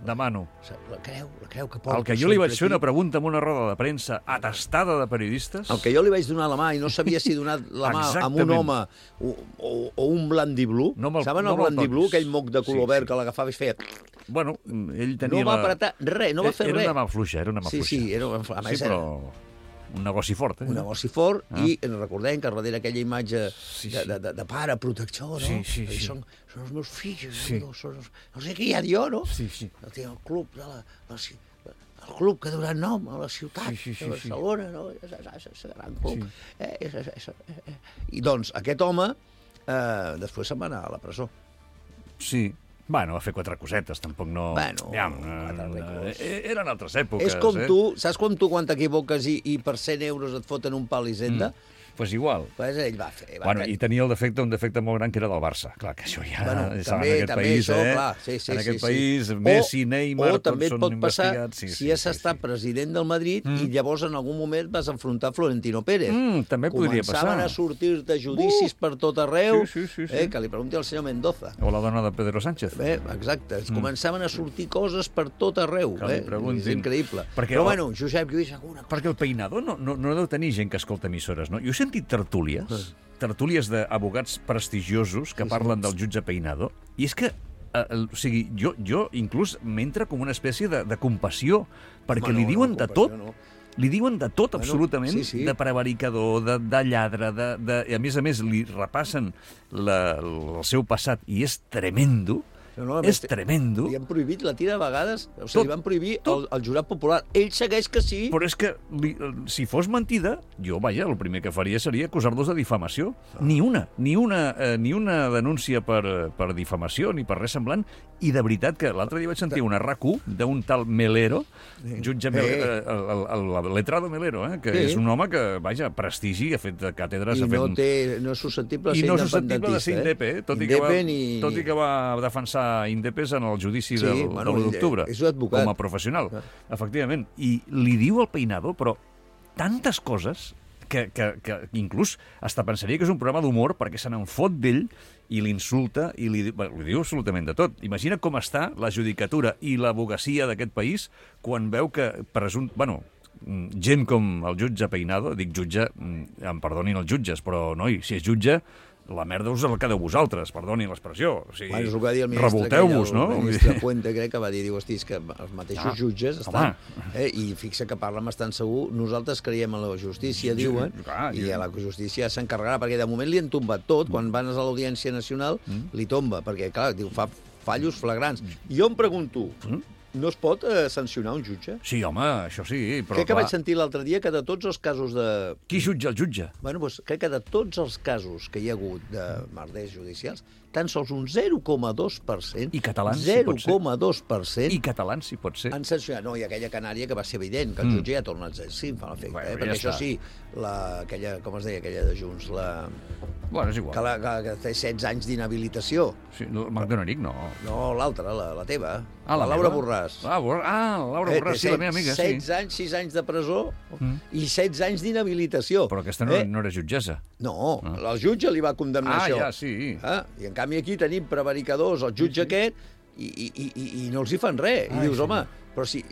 demano. la creu, la creu que porta. El que jo li vaig fer una sempre pregunta en una roda de premsa atestada de periodistes... aquí. El que jo li vaig donar la mà i no sabia si donar la mà amb un Exactament. home o, o, o un blandiblu. No me'l- Saben no el me'l blandiblu, toquis. aquell moc de color Sí, verd sí. que l'agafava i feia... Bueno, ell tenia No va la... apretar res, no va fer era res. una mà fluixa, era una mà Sí, fluixa. sí, era, a més sí, era però un negoci fort, eh? un negoci fort, Ah. i recordem que darrere aquella imatge Sí, de, sí. de, de, de pare protector, no? Sí, sí, I sí. Són, són els meus fills, Sí. no, són els, no sé què hi ha jo, no? Sí, sí. El, el club de la, la, ci- el club que ha donat nom a la ciutat Sí, sí, sí, de Barcelona, no? És, és, és, és un gran club. Sí. Eh, és, és, és, eh, eh. I doncs aquest home eh, després se'n va anar a la presó. Sí. Bueno, va fer quatre cosetes, tampoc no... Bueno, ja, quatre eh, ricos. eh, eren altres èpoques, És com eh? tu, saps com tu quan t'equivoques i, i per cent euros et foten un pal i senda? Mm. pues igual. Pues ell va fer. Va Bueno, tenir. i tenia el defecte, un defecte molt gran, que era del Barça. Clar, que això ja... Bueno, saben, també, en aquest també país, això, eh? clar, sí, sí, en sí, aquest sí. país, O- Messi, Neymar, o també tots et són pot passar investigats. Sí, si sí, has sí, estat sí. president del Madrid Mm. i llavors en algun moment vas enfrontar Florentino Pérez. Mm, també podria passar. Començaven a sortir-te judicis uh, per tot arreu, sí, sí, sí, sí. Eh, que li pregunti al senyor Mendoza. O la dona de Pedro Sánchez. Eh, exacte, mm. començaven a sortir coses per tot arreu. Que li Eh? preguntin. És increïble. Perquè Però el- bueno, Josep Lluís, alguna cosa... Perquè el Peinado no, no, no deu tenir gent que escolta emissores, no? Jo he sentit tertúlies, tertúlies d'abogats prestigiosos que parlen del jutge Peinado, i és que eh, el, o sigui, jo, jo inclús m'entra com una espècie de, de compassió, perquè Home, li no, diuen no, de compassió, tot. no. Li diuen de tot, Bueno, absolutament, sí, sí. de prevaricador, de, de lladre, de, de, i a més a més li repassen la, el seu passat, i és tremendo. No, no, a és més, tremendo. Li han prohibit la tira de vegades, o sigui, Tot, li van prohibir tot. el, el jurat popular. Ell segueix que sí. Però és que, li, si fos mentida, jo, vaja, el primer que faria seria acusar-los de difamació. Ni una, ni una, eh, ni una denúncia per, eh, per difamació, ni per res semblant. I de veritat que l'altre dia vaig sentir una R A C U d'un tal Melero, jutge Melero, eh, el, el, el, el letrado Melero, eh, que Sí. és un home que, vaja, prestigi, ha fet càtedres, I ha fet... no, té, no és susceptible de I ser no és susceptible de ser independentista. indepe, eh? tot, i Indepe que va, ni- tot i que va defensar Indepes en el judici Sí, del, bueno, de l'u d'octubre, és un advocat. com a professional, Clar. efectivament. I li diu al Peinado, però tantes coses que, que, que inclús hasta pensaria que és un programa d'humor perquè se n'en fot d'ell i l'insulta i li, bé, li diu absolutament de tot. Imagina com està la judicatura i l'abogacia d'aquest país quan veu que presum... Bueno, gent com el jutge Peinado, dic jutge, em perdonin els jutges, però, noi, si és jutge, la merda us el quedeu vosaltres, perdonin l'expressió. O sigui, Bueno, és el que va dir el ministre, revolteu-vos, aquell, no? el ministre Puente, crec que va dir, diu, hosti, és que els mateixos Ah, jutges home. estan... Eh, I fixa que parlen bastant segur, nosaltres creiem en la justícia, diuen, clar, i jo- a la justícia s'encarregarà, perquè de moment li han tombat tot, quan van a l'Audiència Nacional, Mm. li tomba, perquè, clar, diu, fa fallos flagrants. Jo em pregunto, Mm. no es pot eh, sancionar un jutge? Sí, home, això sí, però Crec que clar, vaig sentir l'altre dia que de tots els casos de... qui jutja el jutge? Bueno, doncs, crec que de tots els casos que hi ha hagut de merders judicials, tan sols un zero coma dos per cent... I catalans, si zero pot ser. coma dos per cent I catalans, si pot ser. han sancionat. No, i aquella Canària que va ser evident, que el Mm. jutge ja torna a exercir, em fa l'efecte. Bueno, eh? ja Perquè això està. sí, la, aquella, com es deia, aquella de Junts, la, Bueno, és igual. que, la, que, que té setze anys d'inhabilitació. Sí, el McDonald, no. No, l'altra, la, la teva. Ah, la Laura meva? Borràs. Ah, Bor ah, Laura Eh, Borràs, té sí, la meva amiga, sí. setze anys, sis anys de presó Mm. i setze anys d'inhabilitació. Però aquesta no, Eh? no era jutgessa. No, Ah. el jutge li va condemnar Ah, això. ja, sí. Ah, I en canvi aquí tenim prevaricadors, el jutge aquest, i, i, i, i- i no els hi fan res. I Ai, dius, senyor. home, però si...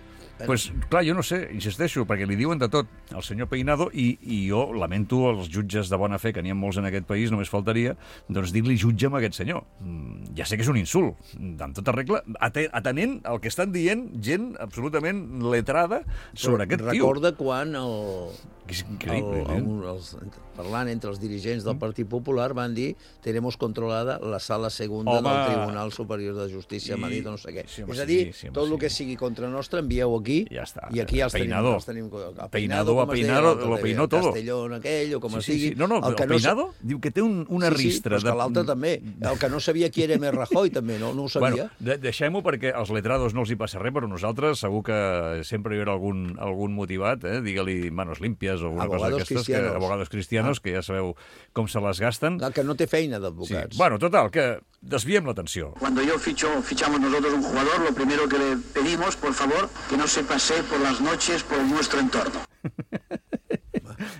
Pues, clar, jo no sé, insisteixo, perquè li diuen de tot al senyor Peinado i, i jo lamento els jutges de bona fe, que n'hi ha molts en aquest país, només faltaria, doncs dir-li jutge amb aquest senyor. Mm, ja sé que és un insult, amb tota regla, ate- atenent el que estan dient gent absolutament letrada sobre aquest tio. Recorda quan el, Que és el, increïble. el, eh? els, parlant entre els dirigents del Partit Popular van dir tenemos controlada la sala segunda Home. del Tribunal Superior de Justícia a I- Madrid o no sé què. sí, home, és a sí, dir, sí, home, tot sí. el que sigui contra nostre envieu aquí Ja està. i aquí els Peinado. tenim. Els tenim a Peinado, com a es deia Peinado, l'altre, lo peinó el todo. Castellón aquell o com Sí, es sí, digui. sí. No, no, el, que el no sa- Peinado diu que té un, una sí, sí, ristra. però és que l'altre també. El que no sabia qui era més Rajoy també, no, no ho sabia. Bueno, de deixem-ho perquè als letrados no els hi passa res, però nosaltres segur que sempre hi haurà algun, algun motivat, eh? Digue-li manos limpias o alguna cosa Abogados d'aquestes, que, cristianos. abogados cristianos, que ja sabeu com se les gasten. El que no té feina Sí. d'advocats. Bueno, total, que desviem l'atenció. Cuando yo ficho, fichamos nosotros un jugador, lo primero que le pedimos, por favor, que no se pasee por las noches por nuestro entorno.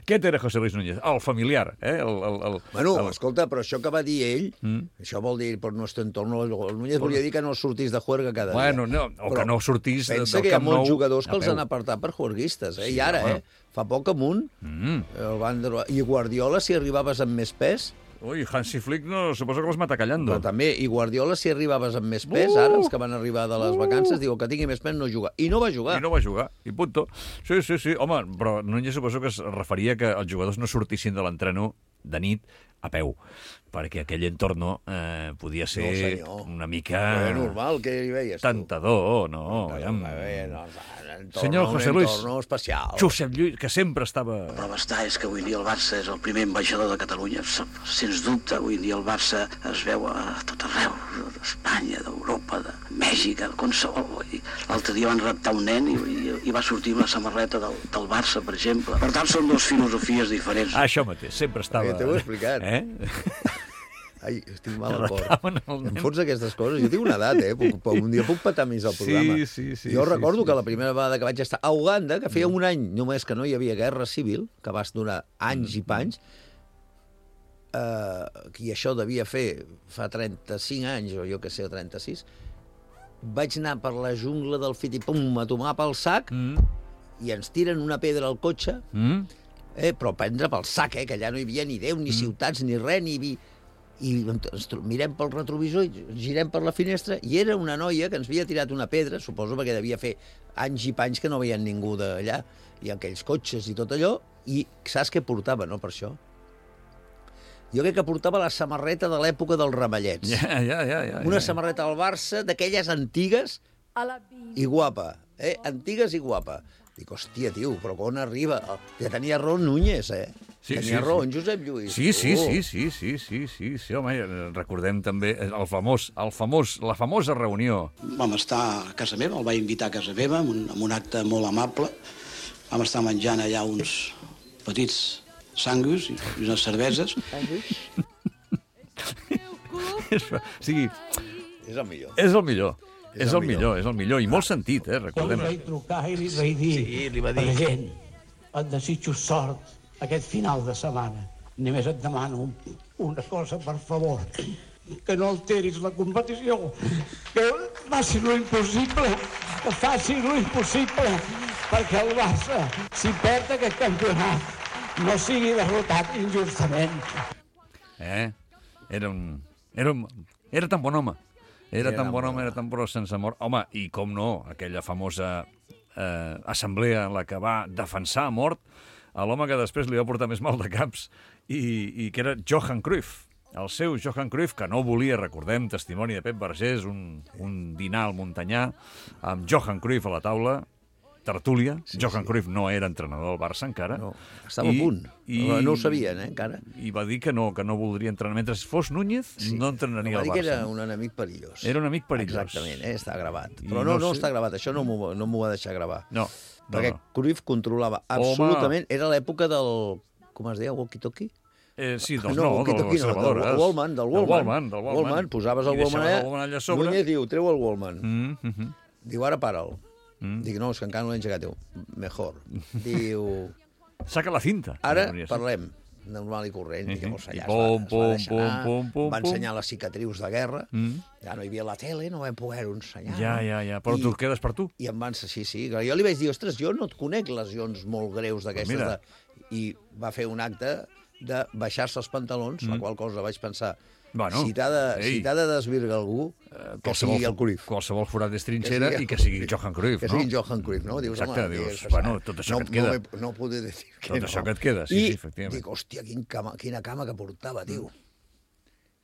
Què era José Luis Núñez? El familiar, eh? El, el, el, Bueno, el... escolta, però això que va dir ell, Mm. això vol dir per nuestro entorno, el Núñez volia dir que no sortís de juerga cada Bueno, dia. no, o que no sortís pensa del que hi ha Camp molts Nou jugadors que a els peu. han apartat per juerguistes, eh? Sí, I ara, home. eh? Fa poc amunt, Mm. el van... dro- i Guardiola, si arribaves amb més pes, Ui, Hansi Flick no, suposo que els mata callando. però també, i Guardiola, si arribaves amb més pes, Uh! ara, els que van arribar de les vacances, diu que tingui més pes no juga. I no va jugar. I no va jugar, i punto. Sí, sí, sí. Home, però Núñez suposo que es referia que els jugadors no sortissin de l'entreno de nit a peu, perquè aquell entorno eh, podia ser senyor. una mica Però normal, què hi veies tu? tentador, no? No, aviam. bé, no, entorno, Senyor José un Luis. entorno especial. Josep Lluís, que sempre estava... La prova està és que avui dia el Barça és el primer ambaixador de Catalunya. Sens dubte, avui dia el Barça es veu a tot arreu. d'Espanya, d'Europa, de Mèxic, qualsevol. L'altre dia van raptar un nen i, i, i va sortir amb la samarreta del, del Barça, per exemple. Per tant, són dues filosofies diferents. Ah, això mateix, sempre estava... Ja t'ho he explicat. Eh? Ai, estic mal al cor. Em fots aquestes coses. Jo tinc una edat, eh? Puc, un dia puc patar més el programa. Sí, sí, sí. Jo sí, recordo sí, que sí. la primera vegada que vaig estar a Uganda, que feia un any només que no hi havia guerra civil, que va durar anys i panys, eh, i això devia fer fa trenta-cinc anys, o jo que sé, o trenta-sis, vaig anar per la jungla del Fitipum a tomar pel sac mm. i ens tiren una pedra al cotxe, mm. eh, però prendre pel sac, eh, que allà no hi havia ni Déu, ni mm. ciutats, ni res, ni... Vi... i ens mirem pel retrovisor i girem per la finestra i era una noia que ens havia tirat una pedra, suposo perquè devia fer anys i panys que no veien ningú d'allà, i aquells cotxes i tot allò, i saps què portava, no, per això? Jo crec que portava la samarreta de l'època dels ramallets. Ja, ja, ja, ja, una ja. samarreta al Barça d'aquelles antigues i guapa, eh? Antigues i guapa. Dic, hòstia, tio, però on arriba? Ja tenia raó Núñez, eh? Sí, tenia sí, raó sí. en Josep Lluís. Sí, sí, oh. sí, sí, sí, sí, sí, sí, home, recordem també el famós, el famós, la famosa reunió. Vam estar a casa meva, el vaig invitar a casa meva, amb un, amb un acte molt amable. Vam estar menjant allà uns petits sangus i unes cerveses. O sigui... És el millor. És el millor. És És el el millor, és el millor, i molt sentit, eh, recordem. Jo li vaig trucar i li vaig dir, sí, li va dir. president, et desitjo sort aquest final de setmana. Només et demano una cosa, per favor, que no alteris la competició, que faci lo impossible, que faci lo impossible, perquè el Barça, si perd aquest campionat, no sigui derrotat injustament. Eh? Era un... Era, un... era tan bon home. Era, era tan bon home, era tan bon sense mort. Home, i com no, aquella famosa eh, assemblea en la que va defensar a mort a l'home que després li va portar més mal de caps i, i que era Johan Cruyff. El seu Johan Cruyff, que no volia, recordem, testimoni de Pep Vergés, un, un dinar al Montanyà, amb Johan Cruyff a la taula, tertúlia. Sí, Johan sí. Cruyff no era entrenador del Barça encara. No, estava I, a punt. I, no ho sabien, eh, encara. I va dir que no, que no voldria entrenar. Mentre fos Núñez, sí. no entrenaria no, al Barça. Va dir que era un enemic perillós. Era un amic perillós. Exactament, eh, està gravat. Però no, no, no sé... està gravat, això no m'ho no va deixar gravar. No. no Perquè no. Cruyff controlava absolutament... Home. Era l'època del... Com es deia? Walkie-talkie? Eh, sí, dels no, no, de les gravadores. Del Wallman, del Wallman. Del Wallman. Wallman. Posaves el Wallman allà, allà sobre. Núñez diu, treu el Wallman. Mm, mm -hmm. Diu, ara para'l. Mm. Dic, no, és que encara no l'he engegat. Diu, mejor. Diu... Saca la cinta. Ara parlem, normal i corrent. Mm -hmm. I llavors allà pom, es va, pom, es va deixar pom, pom, va pom. ensenyar les cicatrius de guerra. Mm. Ja no hi havia la tele, no vam poder-ho ensenyar. Ja, ja, ja. Però I, tu quedes per tu. I em van... Sí, sí. Jo li vaig dir, ostres, jo no et conec lesions molt greus d'aquestes. De... I va fer un acte de baixar-se els pantalons, mm. la qual cosa vaig pensar... Bueno, si t'ha de, si de desvirgar algú, uh, que sigui el Cruyff. Qualsevol forat és trinxera i que sigui Johan Cruyff, que no? Que sigui Johan Cruyff, no? Dius, exacte, home, dius, dius, bueno, tot això no, que et queda. No, no puc dir que tot no. això que et queda, sí, I sí, efectivament. dic, hòstia, quin cama, quina cama que portava, tio.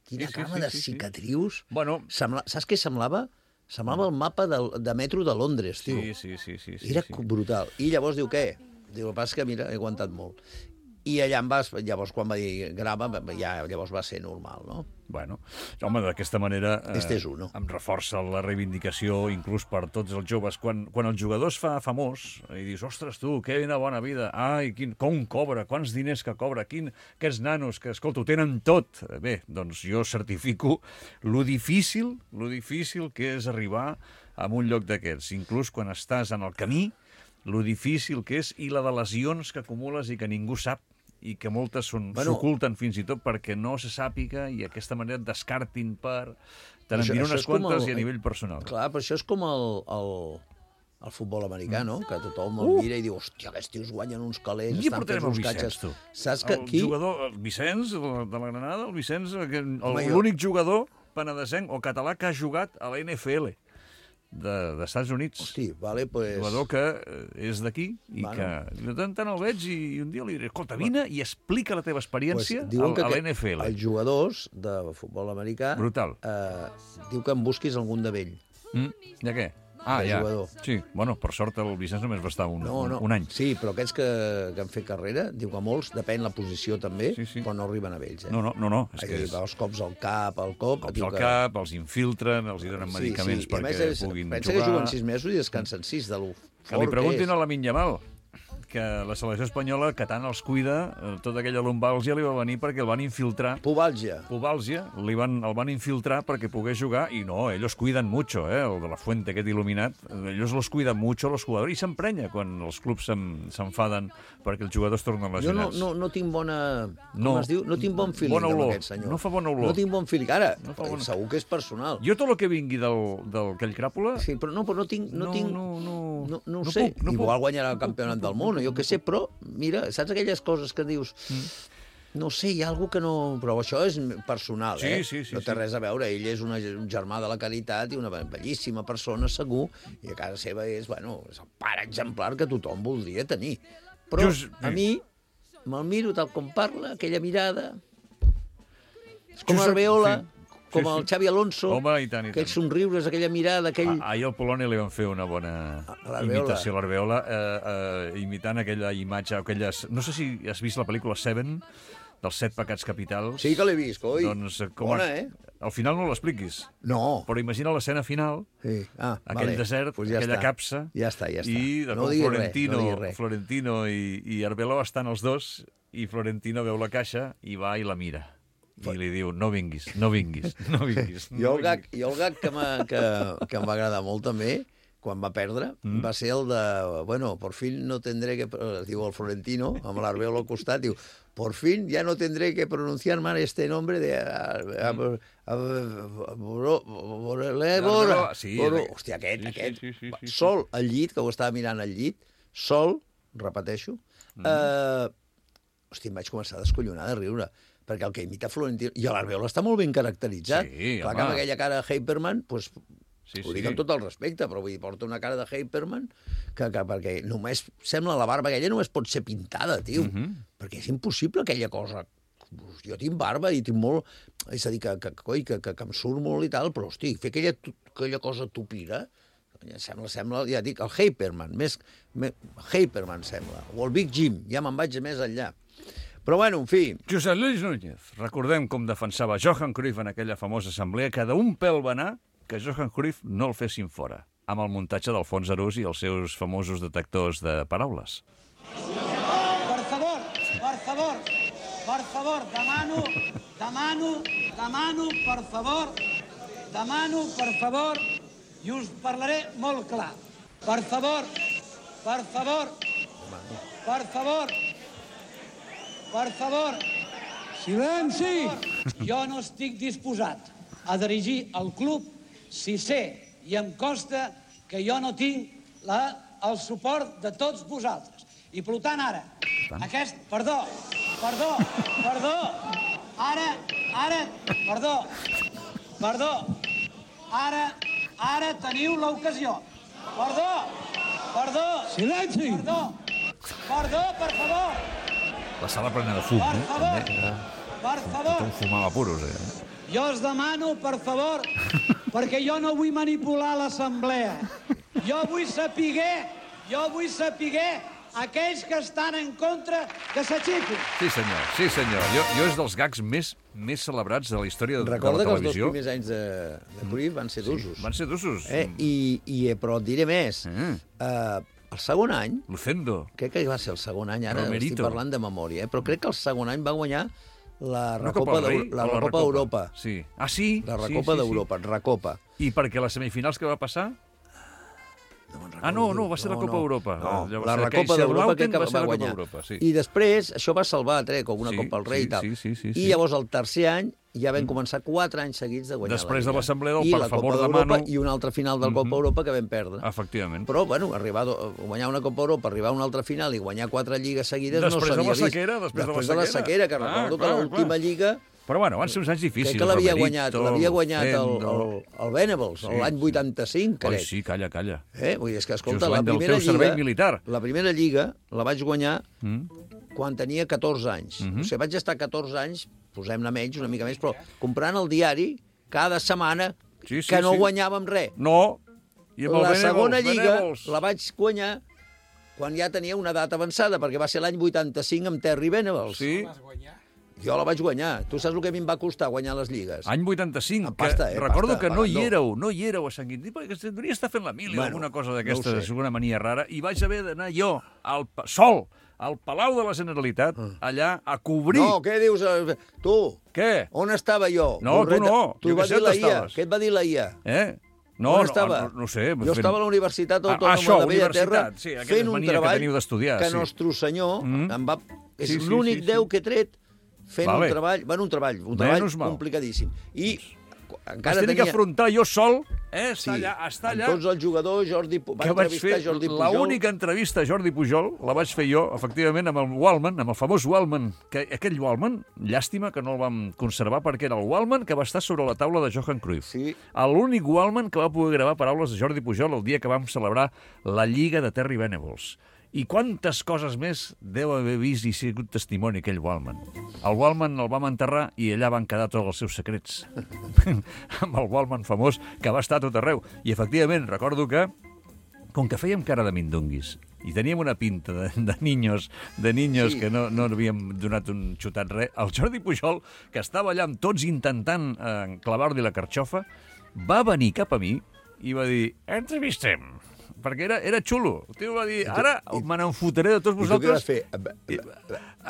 Quina sí, sí, cama sí, de sí, cicatrius. Sí. Bueno... Sembla, saps què semblava? Semblava el mapa de, de metro de Londres, tio. Sí, sí, sí. sí, sí Era sí. brutal. I llavors diu, què? Diu, el pas que, mira, he aguantat molt. I allà em vas, llavors quan va dir grava, ja llavors va ser normal, no? Bueno, home, d'aquesta manera eh, este és uno. em reforça la reivindicació inclús per tots els joves. Quan, quan el jugador es fa famós i dius, ostres, tu, quina bona vida, ai, quin, com cobra, quants diners que cobra, quin, aquests nanos que, escolta, ho tenen tot. Bé, doncs jo certifico lo difícil, lo difícil que és arribar a un lloc d'aquests. Inclús quan estàs en el camí, lo difícil que és i la de lesions que acumules i que ningú sap i que moltes s'oculten bueno, fins i tot perquè no se sàpiga i d'aquesta manera et descartin per... Te n'envien unes quantes el, i a nivell personal. Clar, però això és com el, el, el futbol americà, no? Que tothom el mira i diu, hòstia, aquests tios guanyen uns calés, estan fent uns catxes. Tu. Saps que el aquí... jugador, el Vicenç, de la Granada, el Vicenç, l'únic jugador penedesenc o català que ha jugat a la N F L. dels Estats Units. Hosti, vale, pues... jugador que és d'aquí i bueno. que de tant tant el veig i un dia li diré, escolta, vine i explica la teva experiència pues, al, a l'N F L. Els jugadors de futbol americà brutal. Eh, diu que em busquis algun de vell. Mm, de què? Ah, aquell ja. jugador. Sí, bueno, per sort el Vicenç només va estar un, No, no. un, un any. Sí, però aquests que, que han fet carrera, diu que molts, depèn la posició també, Sí, sí. però no arriben a vells. Eh? No, no, no, no. És Ai, que diu és... que els cops al cap, al cop... Cops diu al que... cap, els infiltren, els hi donen medicaments sí, sí. I a perquè més, és, puguin pensa jugar. que juguen sis mesos i descansen sis, de lo Que li fort preguntin que és. a Lamine Yamal, que la selecció espanyola, que tant els cuida, eh, tota aquella lumbàlgia li va venir perquè el van infiltrar. Pubàlgia. Pubàlgia, li van, el van infiltrar perquè pogués jugar, i no, ellos cuiden mucho, eh, el de la Fuente, aquest il·luminat, ellos los cuidan mucho, los jugadors, i s'emprenya quan els clubs s'enfaden perquè els jugadors tornen Jo no, lesionats. no, no tinc bona... No. Com es diu? No tinc bon feeling Bona amb olor. aquest senyor. No fa bona olor. No tinc bon feeling. Ara, No fa bona- segur que és personal. Jo tot el que vingui del, del aquell cràpula... Sí, però no, però no tinc... No, No, tinc, no, no. no, no ho No sé. puc, no Igual puc. guanyarà el campionat del món, o jo què sé, però, mira, saps aquelles coses que dius... No sé, hi ha algú que no... Però això és personal, Sí, eh? sí, sí, no té sí. res a veure. Ell és una, un germà de la caritat i una bellíssima persona, segur, i a casa seva és, bueno, és el pare exemplar que tothom voldria tenir. Però Just- a mi, me'l miro tal com parla, aquella mirada... És com Josep- Arbeola, sí. com Sí, el sí. Xavi Alonso, Home, i tant, i aquells tant. somriures, aquella mirada, aquell... Ah, ahir al Polònia li van fer una bona l'Albeola. imitació a l'Arbeola, eh, eh, imitant aquella imatge, aquelles... No sé si has vist la pel·lícula Seven, dels set pecats capitals. Sí que l'he vist, coi. Doncs, eh, com Bona, a... eh? Al final no l'expliquis, No. però imagina l'escena final, Sí. Ah, aquell vale. desert, Pues ja aquella està. capsa, Ja està, ja està. i de no cop diguis Florentino, res, no diguis res. Florentino i, i Arbeloa estan els dos, i Florentino veu la caixa i va i la mira. I li diu, no vinguis, no vinguis, no vinguis. Jo el gag, jo el gag que, m'ha- que, que em va agradar molt també, quan va perdre, mm. va ser el de, bueno, por fin no tendré que... Diu el Florentino, amb l'Arbeola al costat, diu, por fin ya no tendré que pronunciar mal este nombre de... Arbeloa, sí, aquest. Hòstia, aquest, Sí, sí, aquest, sí, sí, sí, sí. sol al llit, que ho estava mirant al llit, sol, repeteixo, mm. eh, hòstia, em vaig començar a descollonar de riure, perquè el que imita Florentino... I l'Arbeola està molt ben caracteritzat. Sí, Clar home. que amb aquella cara de Hyperman, doncs, Sí, ho sí. dic amb tot el respecte, però vull dir, porta una cara de Hyperman que, que perquè només sembla la barba aquella només pot ser pintada, tio. Mhm. Perquè és impossible aquella cosa. Jo tinc barba i tinc molt... És a dir, que, que, coi, que, que, que em surt molt i tal, però, hosti, fer aquella, tu- aquella cosa tupira, sembla, sembla, ja dic, el Hyperman, més, més Hyperman sembla, o el Big Jim, ja me'n vaig més enllà. Però bueno, en fi, Josep Lluís Núñez. Recordem com defensava Johan Cruyff en aquella famosa assemblea, que d'un pèl va anar que Johan Cruyff no el fessin fora, amb el muntatge d'Alfons Arús i els seus famosos detectors de paraules. Per favor, per favor, per favor, demano, demano, demano, per favor, demano, per favor, i us parlaré molt clar. Per favor, per favor, per favor, per favor, silenci! Jo no estic disposat a dirigir el club si sé i em costa que jo no tinc la, el suport de tots vosaltres. I per tant, ara, aquest... Perdó, perdó, perdó, ara, ara, perdó, perdó, ara, ara teniu l'ocasió. Perdó, perdó, silenci, perdó, perdó, per favor, La sala plena de fum, per eh? favor, També. per favor. Tothom fumava puros, eh? Jo us demano, per favor, perquè jo no vull manipular l'assemblea. Jo vull sapiguer, jo vull sapiguer aquells que estan en contra que s'aixequin. Sí, senyor, sí, senyor. Jo, jo és dels gags més, més celebrats de la història de, recorda de que la els dos televisió. primers anys de, de Cruyff van ser d'usos. Van ser d'usos. Eh? I, i, però et diré més. Mm. Eh, el segon any, Lucendo. crec que va ser el segon any, ara Romerito. estic parlant de memòria, eh? però crec que el segon any va guanyar la Una Recopa Copa del Rei d'Eu- la o la Recopa d'Europa. Sí. Ah, sí? La Sí, Recopa sí, sí. d'Europa, Recopa. I perquè les semifinals que va passar... No me'n Ah, no, no, va ser la no, Copa no. Europa. No, Llavors, la aquell Recopa d'Europa crec que va va ser ser la Copa guanyar. d'Europa, sí. I després, això va salvar, trec, una Sí, Copa al Rei sí, i tal. sí, sí, sí, I sí. llavors, el tercer any, ja vam començar quatre anys seguits de guanyar Després la de Lliga. l'assemblea del I per la favor Copa de d'Europa Manu. I una altra final del Copa Mhm. Europa que vam perdre. Efectivament. Però, bueno, arribar a guanyar una Copa Europa, arribar a una altra final i guanyar quatre lligues seguides Després no de s'havia la vist. sequera, després de la de la sequera. sequera, que Clar, recordo clar, que l'última clar. lliga... Però bueno, van ser uns anys difícils. Crec que l'havia Romerito, guanyat, l'havia guanyat el, Lucendo. el, el Venables, Sí, l'any sí. vuitanta-cinc, Ai, crec. sí, calla, calla. Eh? Vull dir, és que, escolta, Just la l'any del primera teu servei lliga... militar. La primera lliga la vaig guanyar Mm? quan tenia catorze anys. Mhm. O sigui, vaig estar catorze anys, posem-ne menys, una mica més, però comprant el diari cada setmana Sí, sí, que no sí. guanyàvem res. No, la segona lliga la vaig guanyar quan ja tenia una data avançada, perquè va ser l'any vuitanta-cinc amb Terry Venables. Sí. Jo la vaig guanyar. Tu saps el que a mi em va costar guanyar les lligues? Any vuitanta-cinc. Pasta, eh? Recordo Pasta, que no hi no. éreu, no hi éreu a Sant Quintí, perquè devia estar fent la mili o Bueno, alguna cosa no d'aquesta, ho sé. alguna mania rara, i vaig haver d'anar jo, al, pa- sol, al Palau de la Generalitat, allà, a cobrir... No, què dius? eh, Tu, Què? on estava jo? No, tu Borreta? no. Tu Jo va què sé dir la on I A. estaves. Què et va dir la I A? Eh? No, On no, estava? no, no sé. Jo estava a la Universitat Ah, Autònoma això, de Bellaterra universitat, sí, aquella fent un mania que treball teniu d'estudiar, que sí. Nostre Senyor Mm. em va... És Sí, sí, l'únic sí, sí. Déu que he tret fent Vale. un treball... Bueno, un treball, un treball Menys mal. complicadíssim. I Vaig encara tenir tenia... que afrontar jo sol, eh? Sí, Estar allà, estar amb allà... tots els jugadors, Jordi... Pu- que van vaig entrevistar fer Jordi Pujol. l'única entrevista a Jordi Pujol, la vaig fer jo, efectivament, amb el Wallman, amb el famós Wallman, que aquell Wallman, llàstima que no el vam conservar, perquè era el Wallman que va estar sobre la taula de Johan Cruyff. Sí. L'únic Wallman que va poder gravar paraules de Jordi Pujol el dia que vam celebrar la Lliga de Terry Venables. I quantes coses més deu haver vist i sigut testimoni aquell Wallman. El Wallman el vam enterrar i allà van quedar tots els seus secrets. Amb el Wallman famós que va estar a tot arreu. I efectivament, recordo que, com que fèiem cara de mindunguis i teníem una pinta de, de niños, de niños Sí. que no, no havíem donat un xutat res, el Jordi Pujol, que estava allà amb tots intentant eh, clavar-li la carxofa, va venir cap a mi i va dir, entrevistem, perquè era, era xulo. El tio va dir, ara me n'enfotaré de tots I tu què vas vosaltres. fer?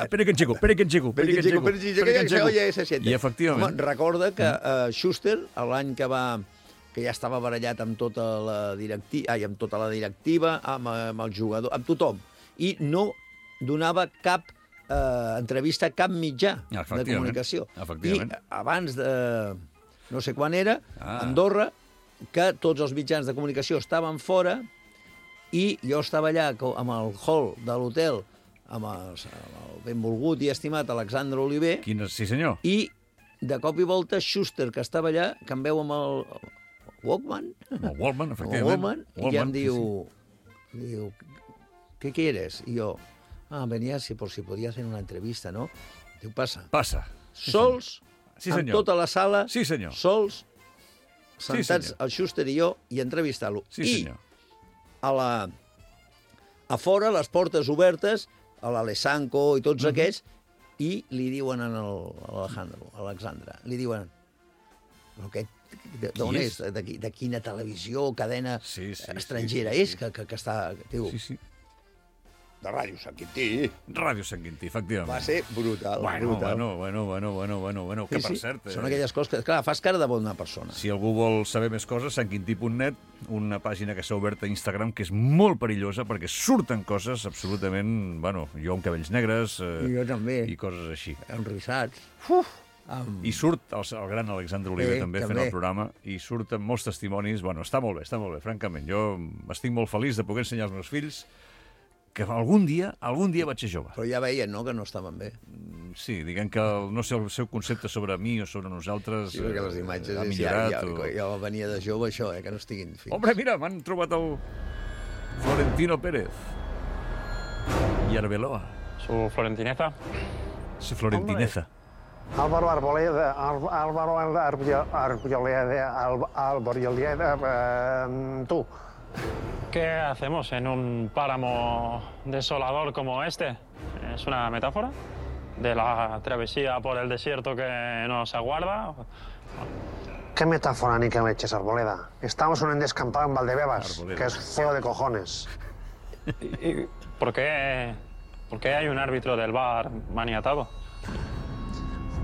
Espera que enxeco, espera que enxeco, espera que enxeco. espera que enxeco. Oye, se siente. I efectivament. Home, recorda que uh, Schuster, l'any que va que ja estava barallat amb tota la directiva, ai, amb tota la directiva, amb, amb el jugador, amb tothom, i no donava cap eh, entrevista a cap mitjà de Efectivament, comunicació. efectivament. I abans de no sé quan era, Ah. a Andorra, que tots els mitjans de comunicació estaven fora i jo estava allà co- amb el hall de l'hotel amb, els, amb el benvolgut i estimat Alexandre Oliver Quin, sí, senyor. i de cop i volta Schuster, que estava allà, que em veu amb el Walkman, El Wallman, amb el efectivament. Walkman, i ja em Wallman, diu, sí, diu, ¿qué quieres? I jo, ah, venía si, por si podía hacer una entrevista, ¿no? Diu, passa. sí. Passa. Sols, Sí, amb senyor. tota la sala, Sí, senyor. sols, sentats senyor. el Schuster i jo, i entrevistar-lo. Sí, I senyor. a la, a fora, les portes obertes, a l'Alessanco i tots Mhm. aquests, i li diuen a l'Alejandro, a Alexandre, li diuen, però aquest, de- d'on Qui és? és? De, qui- de quina televisió, cadena Sí, sí, estrangera sí, sí, és sí. que, que, que està... Diu, Sí, sí. de Ràdio Sant Quintí. Ràdio Sant Quintí, efectivament. Va ser brutal, Bueno, brutal. bueno, bueno, bueno, bueno, bueno, bueno, que Sí, per sí, cert... Són eh, aquelles coses que, clar, fas cara de bona persona. Si algú vol saber més coses, sant quintí punt net, una pàgina que s'ha obert a Instagram que és molt perillosa perquè surten coses absolutament... Bueno, jo amb cabells negres eh, I jo també. i coses així. Enrissats. Uf! Amb... I surt el, el gran Alexandre Oliver Eh, també, fent també. el programa i surten molts testimonis. Bueno, està molt bé, està molt bé, francament. Jo estic molt feliç de poder ensenyar als meus fills que algun dia, algun dia vaig ser jove. Però ja veien, no?, que no estaven bé. Sí, diguem que el, no sé, el seu concepte sobre mi o sobre nosaltres Sí, perquè les imatges... ha és, ja, millorat. ja, o... ja venia de jove, això, eh, que no estiguin fins. Hombre, mira, m'han trobat el Florentino Pérez i Arbeloa. Su florentineza. Su florentineza. Álvaro Arboleda, Al- Álvaro Arboleda, Arboleda, Arboleda, eh, tú. ¿Qué hacemos en un páramo desolador como este? ¿Es una metáfora de la travesía por el desierto que nos aguarda? ¿Qué metáfora ni que me eches, Arboleda? Estamos en un descampado en Valdebebas, Arboleda. que es feo de cojones. ¿Y por qué, por qué hay un árbitro del V A R maniatado?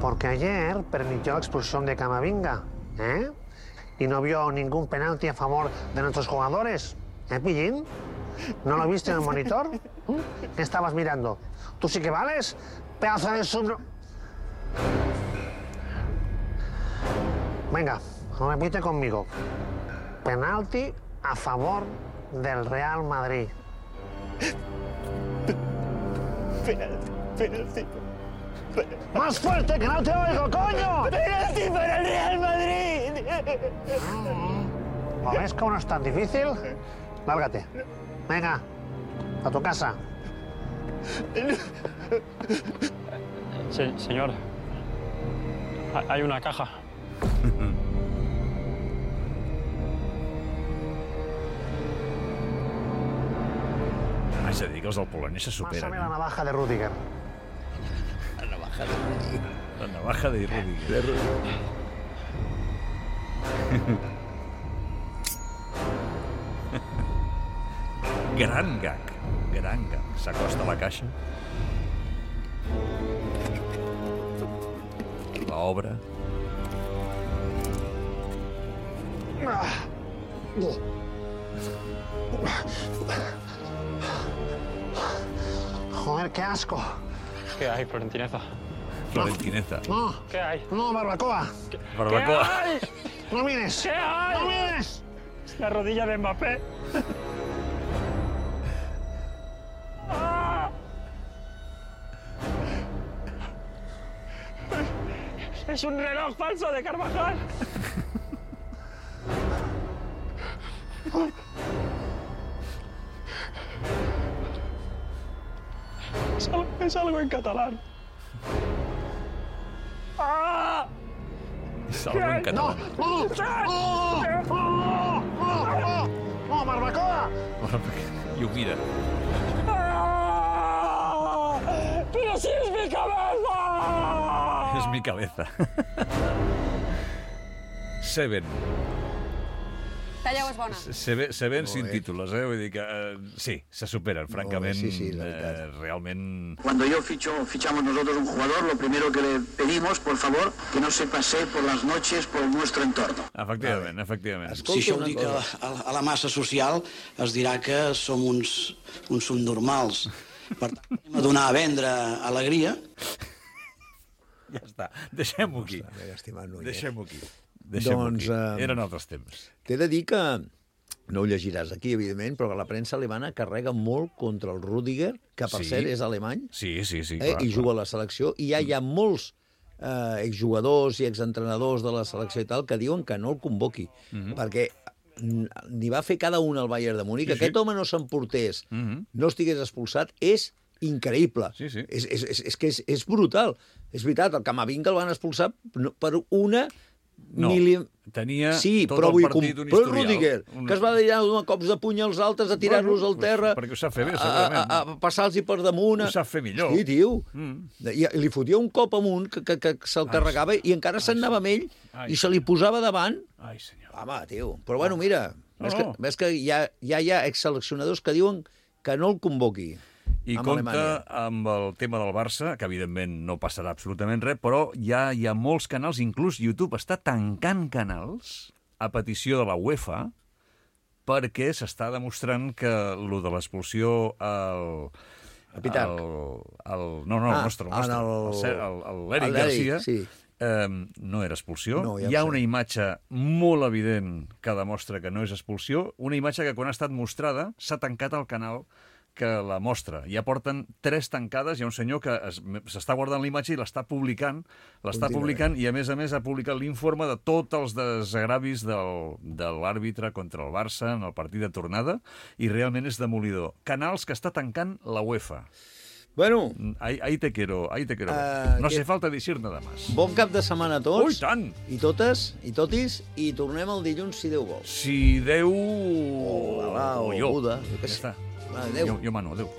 Porque ayer permitió la expulsión de Camavinga, ¿eh? Y no vio ningún penalti a favor de nuestros jugadores. ¿Eh, Pillín? ¿No lo viste en el monitor? ¿Qué estabas mirando? ¿Tú sí que vales? Pedazo de sub... Venga, repite conmigo. Penalti a favor del Real Madrid. Penalti, penalti. ¡Más fuerte, que no te oigo, coño! ¡Penalti para el Real Madrid! ¿Lo ves cómo no es tan difícil? Lárgate. Venga, a tu casa. Se- señor, ha- hay una caja. És a dir, que els del Polònia se superen. Pásame la navaja de Rüdiger. La navaja de Rüdiger. La navaja de Rüdiger. De Rüdiger. Gran gag. Gran gag. S'acosta a la caixa. L'obra. Joder, qué asco. ¿Qué hay, Florentineza? Florentineza. No. ¿Qué hay? No, barbacoa. Barbacoa. ¿Qué hay? No mires. ¿Qué hay? No mires. La rodilla de Mbappé. ¡Ah! Es un reloj falso de Carvajal. Es algo, es algo en catalán. ¡Ah! És algo en català. No, no, no, no, no, no, barbacoa. I ho mira. ¡Ah! ¡Pero si es mi cabeza! És mi cabeza. Seven. Talleu és bona. Seven, Seven sin títulos, eh? Vull dir que eh, sí, se superen, francament. Sí, sí, la eh, realment... Cuando yo ficho, fichamos nosotros un jugador, lo primero que le pedimos, por favor, que no se pasee por las noches por nuestro entorno. Efectivament, efectivament. Si això ho dic a, a, a la massa social, es dirà que som uns, uns subnormals. Per tant, anem a donar a vendre alegria. Ja està, deixem-ho aquí. Deixem-ho aquí. Deixem-ho Doncs, aquí. eh, Eren altres temps. T'he de dir que, no ho llegiràs aquí, evidentment, però que la premsa alemana carrega molt contra el Rüdiger, que per Sí. cert és alemany, Sí, sí, sí, eh, clar. i juga a la selecció, i ja hi ha molts eh, exjugadors i exentrenadors de la selecció i tal que diuen que no el convoqui, Mhm. perquè n'hi va fer cada un al Bayern de Múnich, Sí, que sí. aquest home no s'emportés, Mhm. no estigués expulsat, és increïble. Sí, sí. És, és, és, és que és, és brutal. És veritat, el Camavinga el van expulsar per una... No, mili... tenia sí, tot però el vull partit com- un però historial. Rüdiger, Un- que es va dedicar a donar cops de puny als altres, a tirar-los Bueno, al terra, perquè ho sap fer bé, a, a, segurament. a, a passar-los per damunt. Ho sap fer millor. Sí, tio. Mm. I, I li fotia un cop amunt que, que, que se'l carregava i encara se'n anava amb ell Ai, i se li posava davant. Ai, senyor. Home, tio. Però bueno, mira, No, ves, no. que, ves que hi ha, ja hi ha exseleccionadors que diuen que no el convoqui. I amb compta Alemanya. amb el tema del Barça, que evidentment no passarà absolutament res, però ja hi ha molts canals, inclús YouTube està tancant canals a petició de la UEFA perquè s'està demostrant que lo de l'expulsió al... A Pitarc. El, el, no, no, el Ah, nostre, el en nostre, el- el, Ser- el, el, l'Eric el l'Eric, Garcia, sí. eh, no era expulsió. No, ja Hi ha ho sé. una imatge molt evident que demostra que no és expulsió, una imatge que quan ha estat mostrada s'ha tancat el canal que la mostra. Ja porten tres tancades, hi ha un senyor que es- s'està guardant la imatge i l'està publicant, l'està Continua. publicant i a més a més ha publicat l'informe de tots els desagravis del, de l'àrbitre contra el Barça en el partit de tornada i realment és demolidor. Canals que està tancant la UEFA. Bueno, Ahí, ahí te quiero, ahí te quiero. Ah, no que- hace falta decir nada más. bon cap de setmana a tots. Ui, tant! I totes, i totis, i tornem el dilluns, si Déu vol. Si Déu... O Alà, o jo. Buda, jo què Ja sé. està. Adéu. Jo, jo mano, adéu.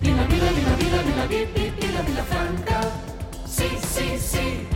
Vila, vila, vila, vila, vila, vila, vila, vila Franca. Sí, sí, sí.